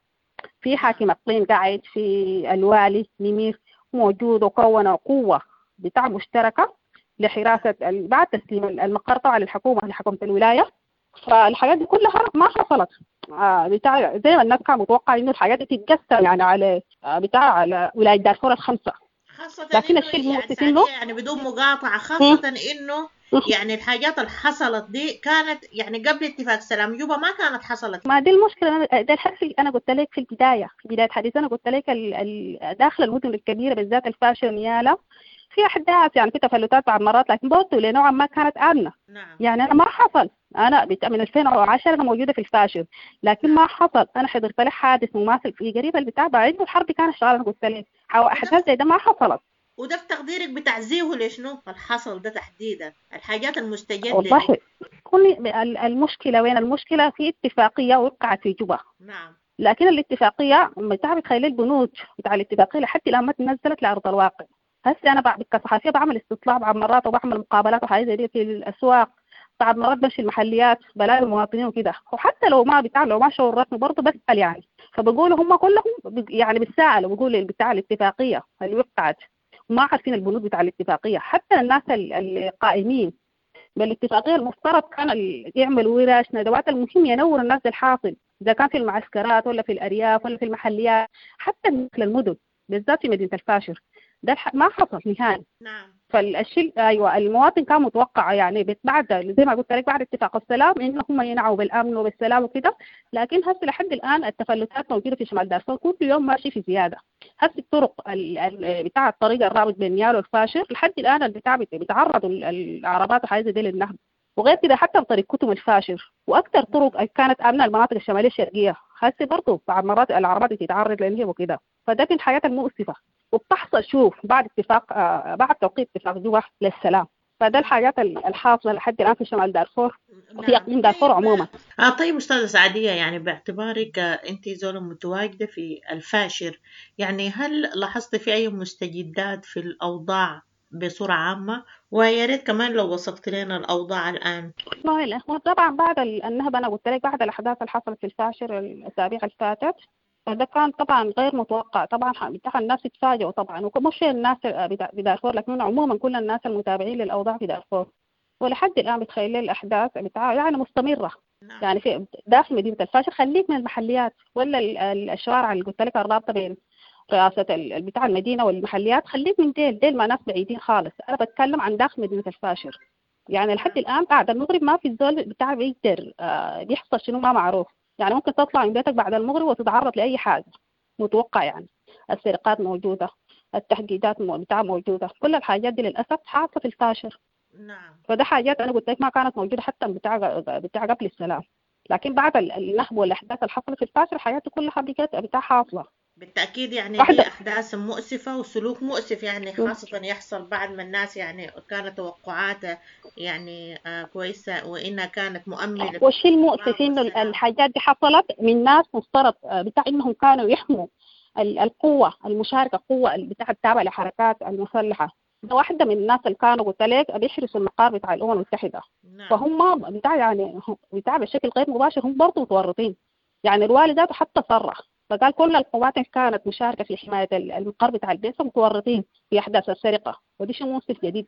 في حاكم إقليم قاعد، في الوالي نمير موجود، وكون قوة بتاع مشتركة لحراسة بعد تسليم المقر طبعا للحكومة، لحكومة الولاية. فالحاجات دي كلها ما حصلت بتاع زي ما الناس كانوا متوقع إنه الحاجات دي تتقسم يعني على بتاع على ولاية دارفور الخمسة، خاصة لكن الشيء المؤسف إنه يعني بدون مقاطعة، خاصة إنه يعني الحاجات اللي حصلت دي كانت يعني قبل اتفاق سلام جوبا ما كانت حصلت. ما دي المشكلة، ده الحرف اللي أنا قلت لك في البداية، في بداية حديث أنا قلت لك داخل المدن الكبيرة بالذات الفاشر نيالا في أحداث يعني في تفلتات بعض مرات، لكن برضه لنوعا ما كانت آمنة. نعم. يعني أنا ما حصل، أنا من 2010 أنا موجودة في الفاشر، لكن ما حصل أنا حضرت لي حادث مماثل في قريب البتاع بعيد، والحرب كانت شغالة. أنا قلت لك أحداث زي ده ما حصلت. وده في تقديرك بتعزيه لشنو الحصل ده تحديدا، الحاجات المستجدة؟ والله كل المشكلة وين المشكلة؟ في اتفاقية وقعت في جوبا. نعم. لكن الاتفاقية بتاع بتخيل البنود بتاع الاتفاقية لحد الآن ما تنزلت لأرض الواقع. هسه أنا كصحفية بعمل استطلاع بعض مرات، وبعمل مقابلات وحاجات زي دي في الأسواق، بعض مرات بمشي المحليات بلاقي المواطنين وكده، وحتى لو ما بتاع لو ما شعور رسمي برضه بسأل يعني، فبقولوا هم كلهم يعني بيتساءلوا، بيقولوا بتاع الاتفاقية اللي وقعت وما عارفين البنود بتاع الاتفاقية. حتى الناس القائمين بالاتفاقية المفترض كان يعملوا ورش ندوات، المهم ينور الناس الحاصل إذا كان في المعسكرات ولا في الأرياف ولا في المحليات، حتى مثل المدن بالذات في مدينة الفاشر ده ما حصل نهائي. نعم. فالشيء ايوه المواطن كان متوقع يعني بعد زي ما قلت لك بعد اتفاق السلام انه هم ينعوا بالامن وبالسلام وكده، لكن هسه لحد الان التفلتات موجوده في شمال دارفور، كل يوم ماشي في زياده. هسه الطرق بتاع الطريق الرابط بين نيال والفاشر لحد الان البتاع بيتعرضوا العربات وحاجات دي للنهب، وغير كده حتى بطريق كتم الفاشر واكثر طرق كانت امنه المناطق الشماليه الشرقيه هسه برضه بعض مرات العربات بتتعرض للنهب وكده، فده من الحاجات المؤسفه. وبتحصل شوف بعد اتفاق بعد توقيع اتفاق جوبا للسلام. فده الحاجات الحاصلة لحد الآن في شمال دارفور وفي إقليم دارفور عموما. طيب أستاذة سعدية، يعني باعتبارك أنت زولة متواجدة في الفاشر، يعني هل لاحظت في أي مستجدات في الأوضاع بصورة عامة؟ ويا ريت كمان لو وصفت لنا الأوضاع الآن. والله الأخوان طبعا بعد النهب، أنا قلت لك بعد الأحداث اللي حصلت في الفاشر الأسابيع اللي فاتت، فده كان طبعا غير متوقع. طبعا الناس اتفاجئوا طبعا، ومش الناس بدارفور لكن عموما كل الناس المتابعين للأوضاع في دارفور. ولحد الآن بتخيل الأحداث يعني مستمرة. يعني في داخل مدينة الفاشر، خليك من المحليات ولا الشوارع اللي قلت لك الرابطة بين رئاسة بتاع المدينة والمحليات، خليك من ديل ما ناس بعيدين خالص. أنا بتكلم عن داخل مدينة الفاشر. يعني لحد الآن بعد المغرب ما في الزول بتاع بيقدر بيحصل شنو ما معروف. يعني ممكن تطلع من بيتك بعد المغرب وتتعرض لأي حاجة متوقع. يعني السرقات موجودة، التهديدات بتاع موجودة، كل الحاجات دي للأسف حاصلة في الفاشر. نعم. فده حاجات أنا قلت لك ما كانت موجودة حتى بتاع قبل السلام، لكن بعد النهب والأحداث اللي حصلت في الفاشر حياته كلها بقت بتاع حاصلة. بالتأكيد يعني دي أحداث مؤسفة وسلوك مؤسف، يعني خاصة يحصل بعد ما الناس يعني كانت توقعاتها يعني كويسة وإنها كانت مؤمنة. والشيء المؤسف إنه الحاجات دي حصلت من ناس مفترض بتاع إنهم كانوا يحموا القوة المشاركة، القوة بتاع التابعة لحركات المسلحة. ده واحدة من الناس اللي كانوا قلت لك بيحرسوا المقار بتاع الأمم المتحدة. نعم. فهم بتاع يعني بتاع بشكل غير مباشر هم برضه متورطين. يعني الوالي ذاته حتى صرح فقال كل القوات اللي كانت مشاركة في حماية المقر بتاع البيت متورطين في أحداث السرقة، ودي شيء مؤسف جديد،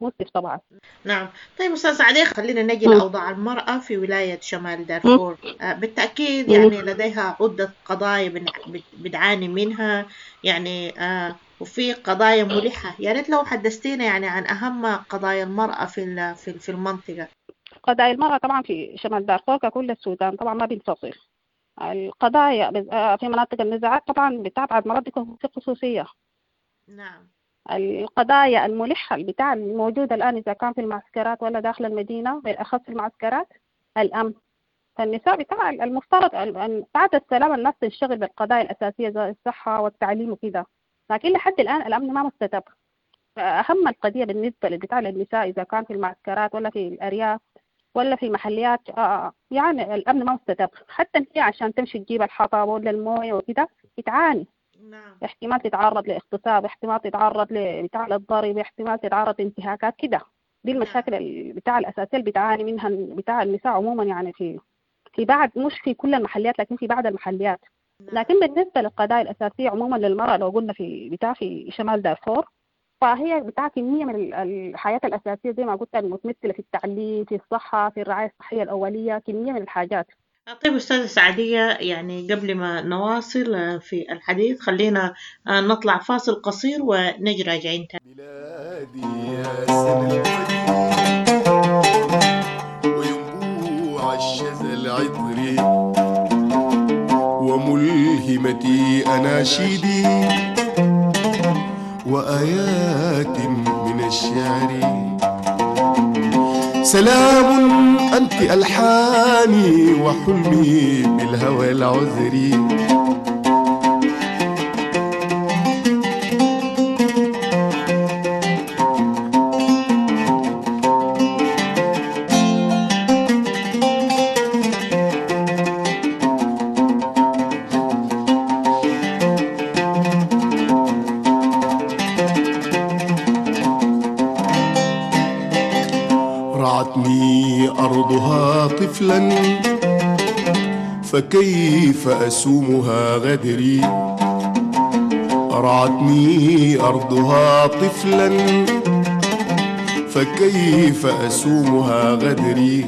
مؤسف طبعا. نعم. طيب أستاذ سعدية، خلينا نجي لأوضاع المرأة في ولاية شمال دارفور. بالتأكيد يعني لديها عدة قضايا بتعاني منها، يعني وفي قضايا ملحة. يا ريت لو حدثتينا يعني عن أهم قضايا المرأة في المنطقة. قضايا المرأة طبعا في شمال دارفور ككل السودان طبعا ما بينفصل. القضايا في مناطق النزاعات طبعا بتبعد مرات بيكون في خصوصية. نعم. القضايا الملحة بتاع الموجودة الآن إذا كان في المعسكرات ولا داخل المدينة، بالأخص في المعسكرات، الأمن. فالنساء بتاع المفترض أن بعد السلام الناس تنشغل بالقضايا الأساسية زي الصحة والتعليم وكده، لكن لحد الآن الأمن ما مستتب. فأهم القضية بالنسبة للبتاع للنساء إذا كان في المعسكرات ولا في الأرياف ولا في محليات، يعني الأمن ما مستتب. حتى هي عشان تمشي تجيب الحطب ولا الموية وكده بتعاني. نعم. احتمال تتعرض لاغتصاب، احتمال تتعرض لبتاع للضرب، احتمال تتعرض لانتهاكات كده. دي المشاكل بتاع الأساسية اللي بتعاني منها بتاع النساء عموما، يعني في بعض، مش في كل المحليات لكن في بعض المحليات. لكن بالنسبة للقضايا الأساسية عموما للمرأة لو قلنا في بتاع في شمال دارفور، فهي بتاع كمية من الحياة الأساسية زي ما قلت المتمثلة في التعليم، في الصحة، في الرعاية الصحية الأولية، كمية من الحاجات. طيب أستاذة سعدية، يعني قبل ما نواصل في الحديث خلينا نطلع فاصل قصير ونجي راجعين تاني. بلادي يا سنة وينبوع الشذا العطري وملهمتي أناشيدي وآيات من الشعر. سلام أنت ألحاني وحلمي بالهوى العذري. رعتني أرضها طفلا فكيف أسومها غدري. رعتني أرضها طفلا فكيف أسومها غدري.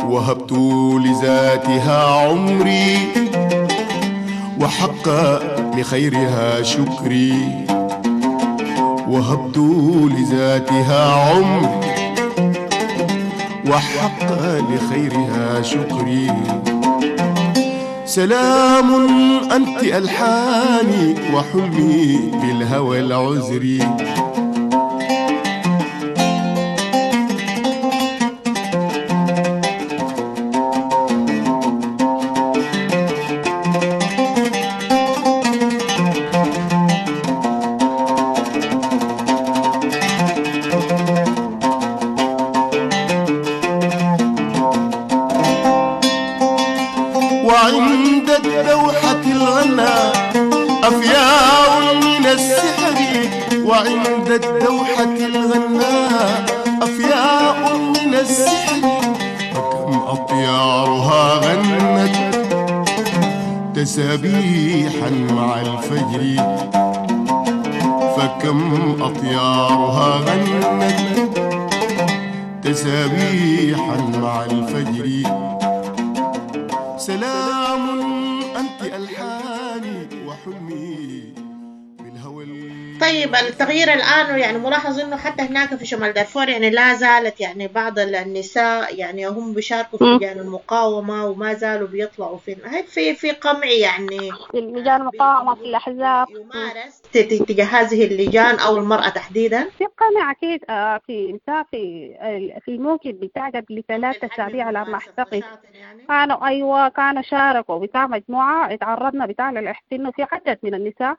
وهبت لذاتها عمري وحق لخيرها شكري. وهبت لذاتها عمري وحق لخيرها شكري. سلام أنت ألحاني وحلمي بالهوى العذري. وعند الدوحة الغناء أفياء من السحر، فكم أطيارها غنت تسابيحا مع الفجر، فكم أطيارها غنت تسابيحا مع الفجر. سلام أنت ألحاني وحلمي بالهوى. طيب التغيير الآن يعني ملاحظ إنه حتى هناك في شمال دارفور يعني لا زالت يعني بعض النساء يعني هم بيشاركوا في لجان المقاومة وما زالوا بيطلعوا في هل في قمع يعني في لجان المقاومة في الأحزاب يمارس تجاه هذه اللجان أو المرأة تحديدا؟ في قمع أكيد. في في الموكب بتاع قبل 3 أسابيع على ما أعتقد كانوا كانوا شاركوا بتاع مجموعة، اتعرضنا بتاع للاحتقان، في عدد من النساء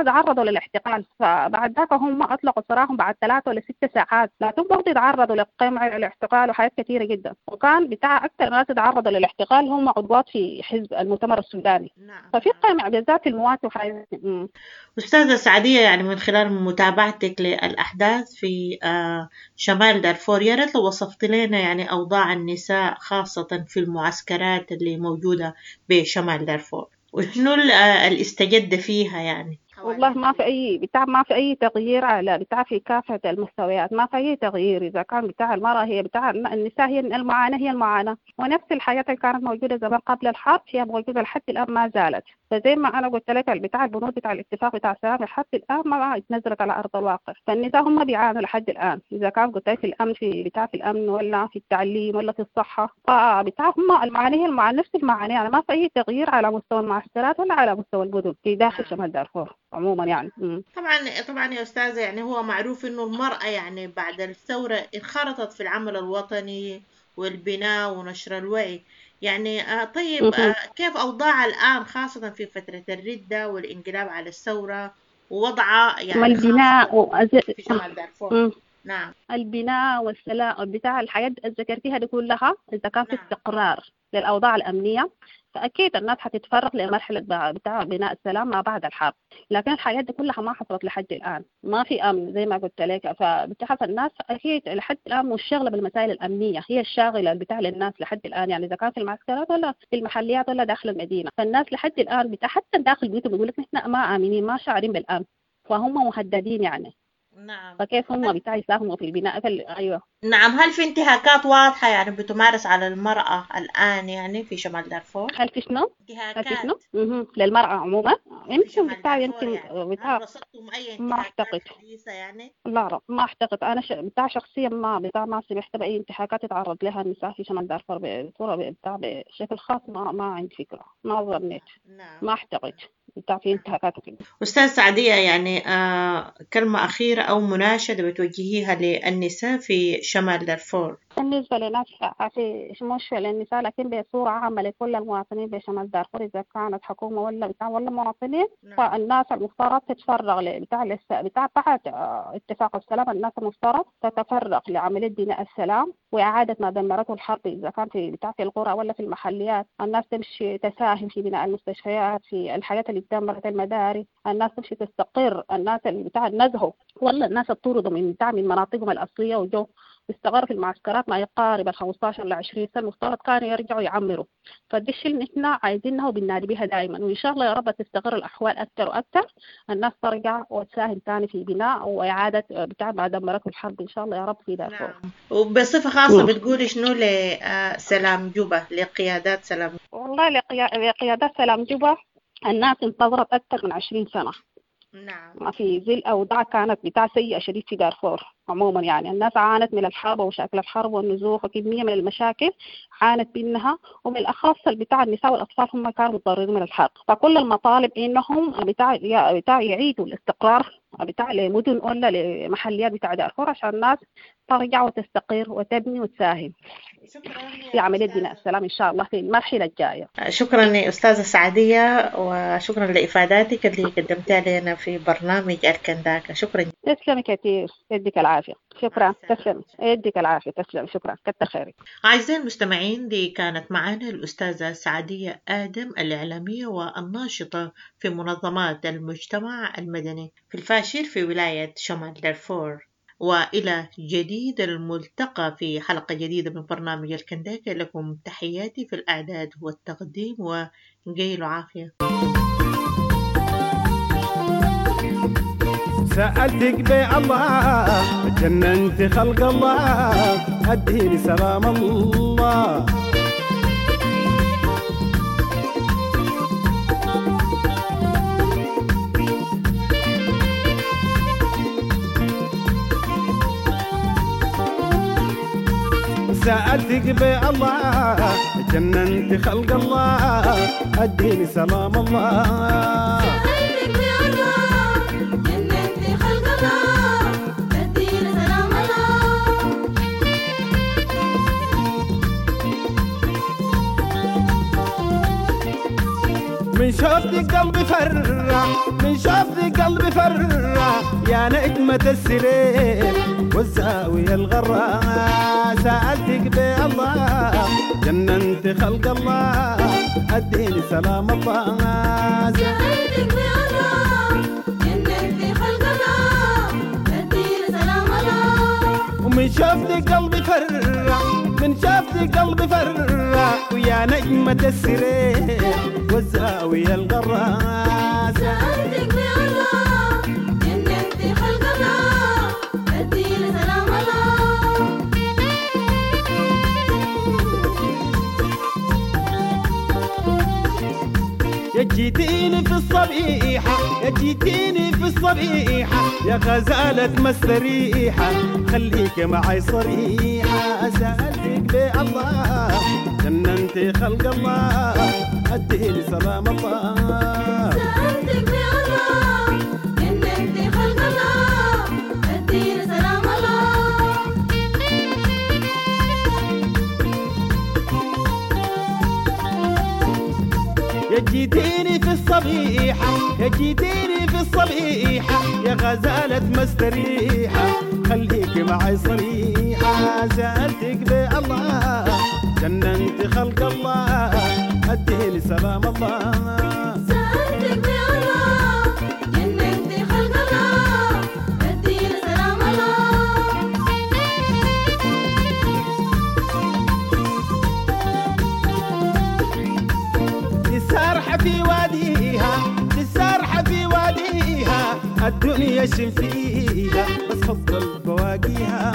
تعرضوا للاحتقان، فبعد ذاك هم أطلقوا سراحهم بعد 3 ولا 6 ساعات، لكن برضه يتعرضوا للقمع والاعتقال وحاجات كثيرة جدا. وكان بتاع أكثر ناس يتعرضوا للاعتقال هم عضوات في حزب المؤتمر السوداني. نعم. ففي قمع بالذات الموات وحاجات. أستاذة سعدية، يعني من خلال متابعتك للأحداث في شمال دارفور، يا ريت لو وصفت لنا يعني أوضاع النساء خاصة في المعسكرات اللي موجودة بشمال دارفور، وشنو اللي استجد فيها يعني؟ والله ما في أي بتاع، ما في أي تغيير على بتاع في كافة المستويات، ما في أي تغيير. إذا كان بتاع المرأة هي بتاع النساء هي المعاناة، هي المعاناة، ونفس الحياة اللي كانت موجودة زمان قبل الحرب هي موجودة لحد الآن ما زالت. فزي ما أنا قلت لك بتاع البنود بتاع الاتفاق بتاع السلام لحد الآن ما اتنزلت على أرض الواقع، فالنساء هم بيعانوا لحد الآن، إذا كان قلت لك في الأمن، في بتاع في الأمن ولا في التعليم ولا في الصحة، فبتاع هم المعاناة هي المعاناة، نفس المعاناة يعني، ما في أي تغيير على مستوى المعسكرات ولا على مستوى المدن في داخل شمال دارفور عموما يعني. طبعا يا أستاذة، يعني هو معروف إنه المرأة يعني بعد الثورة انخرطت في العمل الوطني والبناء ونشر الوعي يعني. طيب كيف أوضاعها الآن خاصة في فترة الردة والانقلاب على الثورة ووضعها يعني البناء في شمال دارفور؟ نعم، البناء والسلام بتاع الحياة ذكرتيها دي كلها، إذا كان في استقرار للأوضاع الأمنية فأكيد الناس حتتفرغ لمرحلة بتاع بناء السلام ما بعد الحرب، لكن الحياة دي كلها ما حصلت لحد الآن، ما في أمن زي ما قلت لك. فبتاع الناس أكيد لحد الآن مش شاغلة بالمسائل الأمنية، هي الشاغلة بتاع للناس لحد الآن يعني، إذا كان في المعسكرات ولا في المحليات ولا داخل المدينة، فالناس لحد الآن بتاع حتى داخل بيوتهم بيقول لك نحن ما آمنين، ما شاعرين بالأمن، فهم مهددين يعني. نعم. فكيف هم بتاع يساهموا في البناء؟ أيوة. نعم. هل في انتهاكات واضحة يعني بتمارس على المرأة الآن يعني في شمال دارفور؟ هل في شنو؟ انتهاكات هل في شنو؟ للمرأة عموما يمكن بتاع يمكن يعني. بتاع أي ما أعتقد يعني؟ لا ما أعتقد أنا بتاع شخصيا ما بتاع ما سمعت بأي انتهاكات يتعرض لها النساء في شمال دارفور بصورة بتاع بشكل خاص، ما عندي فكرة، ما ظنيت. نعم. ما أعتقد بتاع في انتهاكات كده. أستاذ سعدية، يعني كلمة أخيرة أو مناشدة بتوجهيها للنساء في شمال دارفور؟ بالنسبة لناس في مش للنساء لكن بصورة عامة لكل المواطنين بشمال دارفور، إذا كانت حكومة ولا بتاع ولا مواطنين، نعم. فالناس المفترض تتفرغ بتاع بتاع بعد اتفاق السلام، الناس المفترض تتفرغ لعملية بناء السلام وإعادة ما دمرته الحرب، إذا كان في بتاع في القرى ولا في المحليات، الناس تمشي تساهم في بناء المستشفيات، في الحاجات اللي دمرت المدارس، الناس تمشي تستقر، الناس اللي بتاع نزهوا ولا الناس طردوا من بتاع من مناطقهم الأصلية وجو استقروا في المعسكرات ما يقارب 15 ل 20 سنة، المفترض كانوا يرجعوا يعمروا. فدي الشيء اللي نحن عايزينها وبننادي بها دائما، وإن شاء الله يا رب تستقر الأحوال أكثر وأكثر، الناس ترجع وتساهم ثاني في بناء وإعادة بتاع ما دمرته الحرب إن شاء الله يا رب في دارفور. نعم. وبصفة خاصة بتقولي شنو لسلام جوبا، لقيادات سلام؟ والله لقيادات سلام جوبا الناس انتظرت أكثر من 20 سنة. نعم. في ظل أوضاع كانت بتاع سيئة شديد في دارفور عموما يعني، الناس عانت من الحرب ومشاكل الحرب والنزوح وكمية من المشاكل عانت منها، وبالأخص بتاع النساء والأطفال هم كانوا متضررين من الحرب. فكل المطالب إنهم بتاع يعيدوا الاستقرار بتاع لمدن ولا لمحليات بتاع دارفور عشان الناس ترجع وتستقر وتبني وتساهم. في عملية بناء السلام إن شاء الله في المرحلة الجاية. شكرا أستاذة سعدية، وشكرا لإفاداتك اللي قدمتها لنا في برنامج الكنداكا. شكرا. تسلمي كثير، يديك العافية. شكرا، تسلمي، يديك العافية، تسلمي، شكرا، كتر خيرك. أعزائي المستمعين، دي كانت معنا الأستاذة سعدية آدم، الإعلامية والناشطة في منظمات المجتمع المدني في الفاشر في ولاية شمال دارفور. وإلى جديد الملتقى في حلقة جديدة من برنامج الكنداكا. لكم تحياتي في الأعداد والتقديم، وجيل عافية. سألتك بالله جننت خلق الله، أديني سلام الله. سألتك بالله جننت خلق الله، أديني سلام الله. سألتك بالله جننت خلق الله، أديني سلام الله. من شوفتك قلبي فرع، من شوفتك قلبي فرع، يا نجمة السرير والزاوية الغراء. سألتك بالله جننت خلق الله، أديني سلام الله. سألتك بالله جننت خلق الله، أديني سلام الله. ومن شوفتك قلبي فرع، من شوفتك قلبي فرع، ويا نجمة السرير والزاوية الغراء. سألتك بالله جننت خلق الله، أديني سلام الله. يا جيتيني في الصبيحة، يا جيتيني في الصبيحة، يا غزالة مستريحة، خليك معي صريحة. سألتك بالله جننت خلق الله، أديني سلام الله. سألتك بالله جننت خلق الله، أديني سلام الله. يا جيتيني في الصبيحة، يا جيتيني في الصبيحة، يا غزالة مستريحة، خليك معي صريحة. سألتك بالله جننت خلق الله، أديني سلام الله. سألتك بالله جننت خلق الله، أديني سلام الله. السارحة في واديها، السارحة في واديها، الدنيا شم فيها بس فضل بواقيها.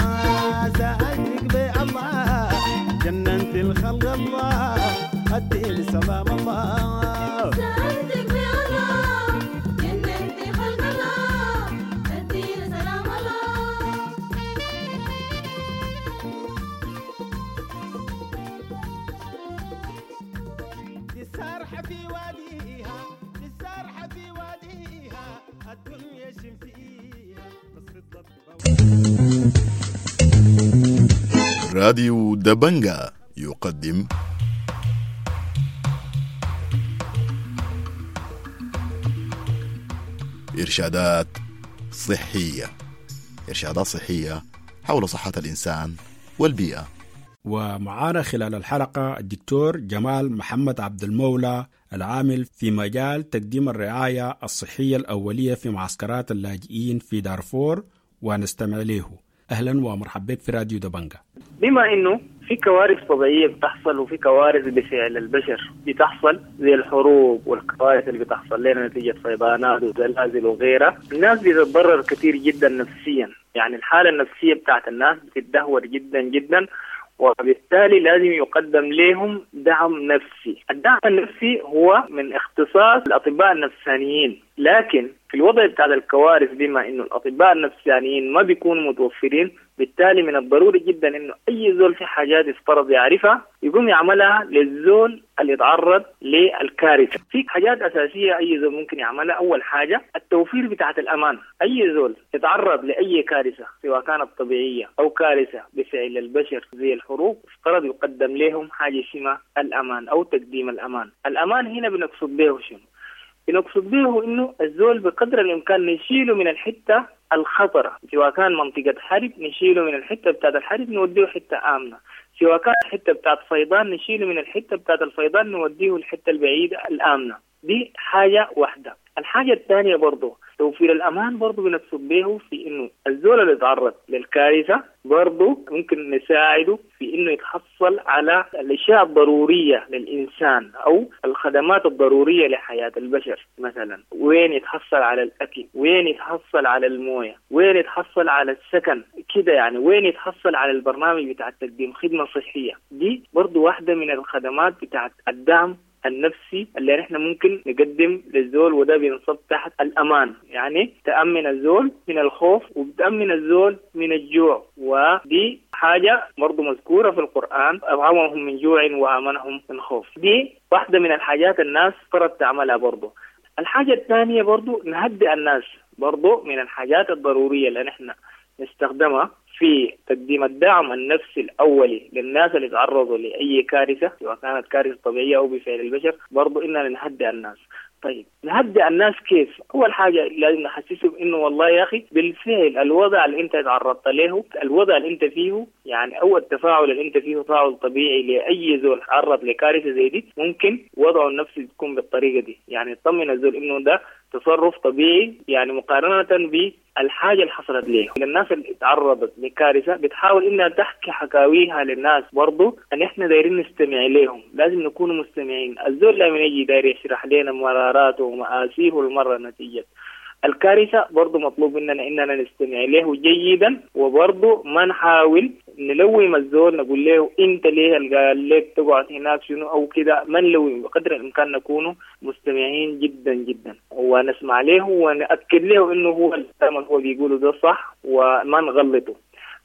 سألتك بالله جننت الخلق الله، أديني سلام الله. سألتك بالله جننت خلق الله، أديني سلام الله. السارحة في واديها، السارحة في واديها، الدنيا شم فيها بس فضلت. راديو دبنجا يقدم إرشادات صحية، إرشادات صحية حول صحة الإنسان والبيئة. ومعانا خلال الحلقة الدكتور جمال محمد عبد المولى، العامل في مجال تقديم الرعاية الصحية الأولية في معسكرات اللاجئين في دارفور، ونستمع له. أهلا ومرحبا بك في راديو دبنجا. بما إنه في كوارث طبيعية بتحصل وفي كوارث بفعل البشر بتحصل، زي الحروب والكوارث اللي بتحصل لنا نتيجة فيضانات وزلازل وغيرها، الناس بتتضرر كثير جدا نفسيا. يعني الحالة النفسية بتاعت الناس بتتدهور جدا جدا، وبالتالي لازم يقدم لهم دعم نفسي. الدعم النفسي هو من اختصاص الأطباء النفسانيين، لكن في الوضع بتاع الكوارث بما إنه الأطباء النفسانيين ما بيكونوا متوفرين، بالتالي من الضروري جدا إنه أي زول في حاجات يفترض يعرفها يقوم يعملها للزول اللي يتعرض للكارثة. في حاجات أساسية أي زول ممكن يعملها. أول حاجة التوفير بتاعت الأمان. أي زول يتعرض لأي كارثة سواء كانت طبيعية أو كارثة بفعل البشر زي الحروب، افترض يقدم لهم حاجة اسمها الأمان أو تقديم الأمان. الأمان هنا بنقصد به شنو؟ بنقصد به إنه الزول بقدر الإمكان نشيله من الحتة الخطرة، سواء كان منطقة حرب نشيله من الحتة بتاعت الحرب نوديه حتة آمنة، سواء كان حتة بتاعت فيضان نشيله من الحتة بتاعت الفيضان نوديه الحتة البعيدة الآمنة. دي حاجة واحدة. الحاجة الثانية برضو توفير الأمان برضو بنقصد به في إنه الزول اللي يتعرض للكارثة برضو ممكن نساعده في إنه يتحصل على الأشياء الضرورية للإنسان أو الخدمات الضرورية لحياة البشر. مثلا وين يتحصل على الأكل، وين يتحصل على الموية، وين يتحصل على السكن كده يعني، وين يتحصل على البرنامج بتاع تقديم خدمة صحية. دي برضو واحدة من الخدمات بتاعت الدعم النفسي اللي نحن ممكن نقدم للزول، وده بينصب تحت الأمان. يعني تأمن الزول من الخوف وبتأمن الزول من الجوع، ودي حاجة برضو مذكورة في القرآن، أطعمهم من جوع وآمنهم من خوف. دي واحدة من الحاجات الناس فرض تعملها برضو. الحاجة الثانية برضو نهدئ الناس، برضو من الحاجات الضرورية اللي نحن نستخدمها في تقديم الدعم النفسي الأولي للناس اللي تعرضوا لأي كارثة سواء كانت كارثة طبيعية أو بفعل البشر، برضو إننا نهدئ الناس. طيب نهدئ الناس كيف؟ أول حاجة لازم نحسسهم إنه والله يا أخي بالفعل الوضع اللي أنت تعرضت له، الوضع اللي أنت فيه يعني، أو التفاعل اللي أنت فيه تفاعل طبيعي لأي زول تعرض لكارثة زي دي، ممكن وضعه النفسي يكون بالطريقة دي. يعني تطمن الزول إنه ده تصرف طبيعي، يعني مقارنة بالحاجة اللي حصلت ليه. للناس اللي تعرضت لكارثة بتحاول إنها تحكي حكاويها للناس، برضو أن إحنا دايرين نستمع لهم، لازم نكون مستمعين. الزول لما يجي داير يشرح لنا مراراته ومآسيه المرة نتيجة الكارثة، برضو مطلوب مننا إننا نستمع له جيدا، وبرضو ما نحاول نلوم الزول نقول له أنت ليه قال لك تقعد هناك شنو أو كده، ما نلوم، بقدر الإمكان نكون مستمعين جدا جدا ونسمع له ونأكد له إنه هو الكلام اللي هو بيقوله ده صح وما نغلطه.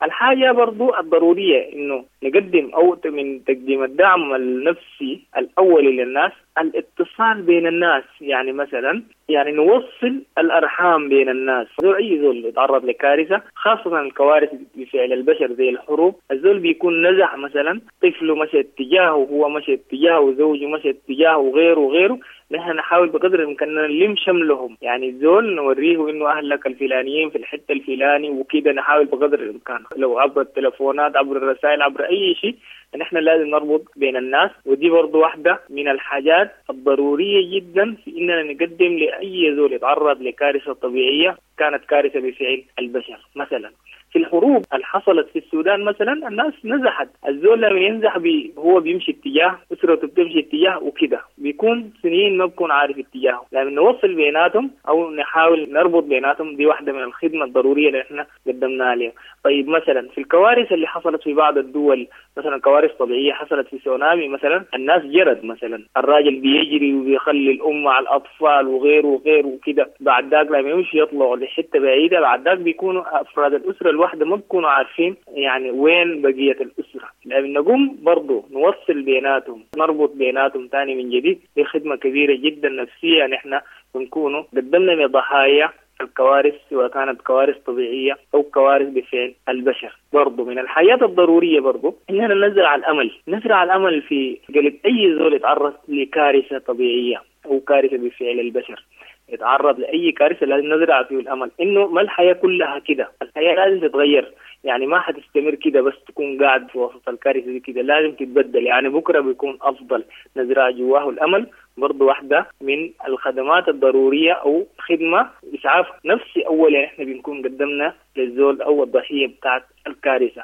الحاجة برضو الضرورية إنه نقدم أو من تقديم الدعم النفسي الأولي للناس الاتصال بين الناس. يعني مثلا يعني نوصل الأرحام بين الناس. زول أي زول يتعرض لكارثة، خاصة الكوارث بفعل البشر زي الحروب، الزول بيكون نزح مثلا، طفله مشى اتجاهه، وهو مشى اتجاهه، وزوجه مشى اتجاهه، وغيره وغيره. نحن نحاول بقدر الإمكان نلم شملهم، يعني الزول نوريه إنه أهلك الفلانيين في الحتة الفلاني وكده. نحاول بقدر الإمكان لو عبر التلفونات، عبر الرسائل، عبر أي شيء، نحن لازم نربط بين الناس. ودي برضو واحدة من الحاجات الضرورية جدا في إننا نقدم لأي زول يتعرض لكارثة طبيعية كانت كارثة بفعل البشر. مثلا في الحروب اللي حصلت في السودان مثلا الناس نزحت، الزول لما ينزح هو بيمشي اتجاه، أسرته بتمشي اتجاه وكده، بيكون سنين ما بكون عارف اتجاهه. لما نوصل بيناتهم أو نحاول نربط بيناتهم، دي واحدة من الخدمة الضرورية اللي احنا قدمناها لهم. طيب مثلا في الكوارث اللي حصلت في بعض الدول، مثلا كوارث طبيعية حصلت في سونامي مثلا، الناس جرت مثلا، الراجل بيجري وبيخلي الأم مع الأطفال وغيره وغيره وكده، بعد ذاك لما يمشي يطلعوا لحتة بعيدة، بعد ذاك بيكونوا أفراد الأسرة الواحدة ما بيكونوا عارفين يعني وين بقية الأسرة. لما نقوم برضو نوصل بيناتهم، نربط بيناتهم تاني من جديد، دي خدمة كبيرة جدا نفسية نحن بنكونوا قدمنا لضحايا الكوارث، سواء كانت كوارث طبيعية أو كوارث بفعل البشر. برضو من الحياة الضرورية برضو إننا نزرع الأمل، نزرع الأمل في قلب أي زول يتعرض لكارثة طبيعية أو كارثة بفعل البشر، يتعرض لأي كارثة لازم نزرع فيه الأمل إنه ما الحياة كلها كده، الحياة لازم تتغير، يعني ما حتستمر كده بس تكون قاعد في وسط الكارثة دي كده، لازم تتبدل، يعني بكرة بيكون أفضل. نزرع جواه الأمل برضو واحدة من الخدمات الضرورية أو خدمة إسعاف نفسي أولا إحنا بنكون قدمنا للزول أو الضحية بتاعت الكارثة.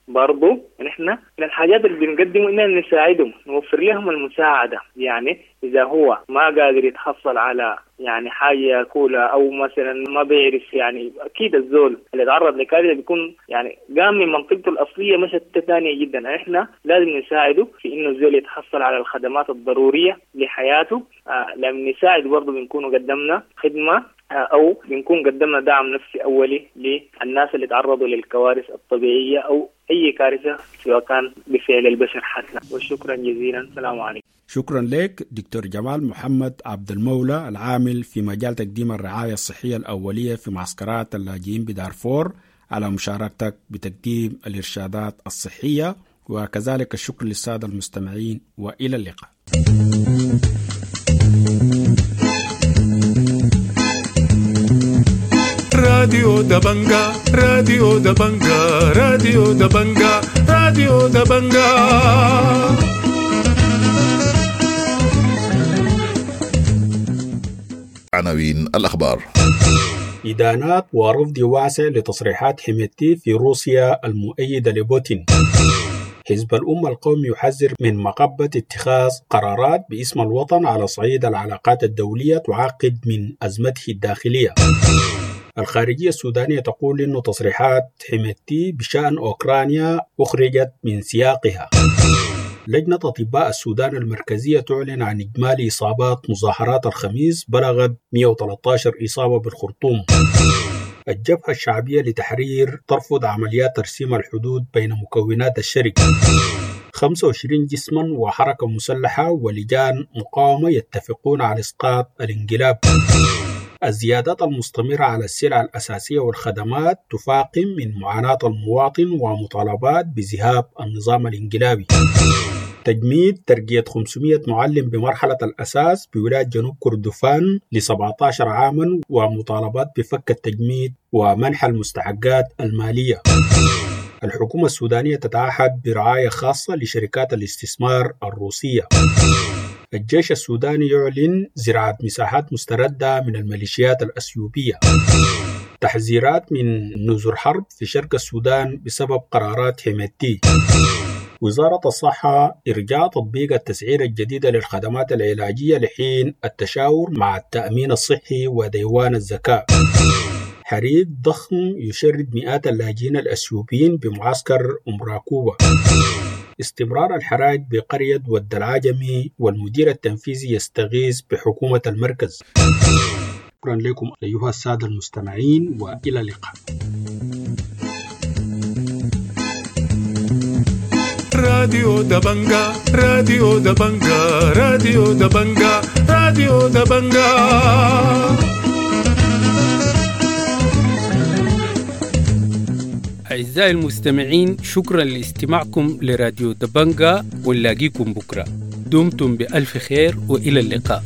برضو نحن من الحاجات اللي بنقدمه إننا نساعدهم، نوفر لهم المساعدة. يعني إذا هو ما قادر يتحصل على يعني حاجة ياكلها أو مثلا ما بيعرف، يعني أكيد الزول اللي تعرض لكارثة بيكون يعني قام من منطقته الأصلية مشت ثانية جدا. إحنا لازم نساعده في إنه الزول يتحصل على الخدمات الضرورية لحياته. لما نساعد برضو بنكون قدمنا خدمة أو بنكون قدمنا دعم نفسي أولي للناس اللي تعرضوا للكوارث الطبيعية أو أي كارثة سواء كان بفعل البشر حتى. وشكرا جزيلا، السلام عليكم. شكرا لك دكتور جمال محمد عبد المولى، العامل في مجال تقديم الرعاية الصحية الأولية في معسكرات اللاجئين بدارفور، على مشاركتك بتقديم الإرشادات الصحية، وكذلك الشكر للسادة المستمعين، وإلى اللقاء. راديو دبنجا، راديو دبنجا، راديو دبنجا، راديو دبنجا. عناوين الأخبار: إدانات ورفض واسع لتصريحات حميدتي في روسيا المؤيدة لبوتين. حزب الأمة القومي يحذر من مغبة اتخاذ قرارات باسم الوطن على صعيد العلاقات الدولية تعقد من أزمته الداخلية. الخارجية السودانية تقول إن تصريحات حميدتي بشأن أوكرانيا أخرجت من سياقها. لجنة أطباء السودان المركزية تعلن عن إجمالي إصابات مظاهرات الخميس بلغت 113 إصابة بالخرطوم. الجبهة الشعبية لتحرير ترفض عمليات ترسيم الحدود بين مكونات الشركة. 25 جسما وحركة مسلحة ولجان مقاومة يتفقون على إسقاط الانقلاب. الزيادات المستمرة على السلع الأساسية والخدمات تفاقم من معاناة المواطن ومطالبات بذهاب النظام الانقلابي. تجميد ترقية 500 معلم بمرحلة الأساس بولاية جنوب كردفان ل 17 عاما ومطالبات بفك التجميد ومنح المستحقات المالية. الحكومة السودانية تتعهد برعاية خاصة لشركات الاستثمار الروسية. الجيش السوداني يعلن زراعة مساحات مستردة من الميليشيات الأثيوبية. تحذيرات من نزر حرب في شرق السودان بسبب قرارات حميدتي. وزارة الصحة إرجاء تطبيق التسعيرة الجديدة للخدمات العلاجية لحين التشاور مع التأمين الصحي وديوان الزكاة. حريق ضخم يشرد مئات اللاجئين الأثيوبيين بمعسكر أم راكوبة. استمرار الحراج بقرية ود العجمي والمدير التنفيذي يستغيث بحكومة المركز. شكرا لكم أيها السادة المستمعين وإلى اللقاء. راديو دبنجا، راديو دبنجا، راديو دبنجا، راديو دبنجا. أعزائي المستمعين، شكرا لاستماعكم لراديو دبنجا، ونلاقيكم بكرة. دمتم بألف خير وإلى اللقاء.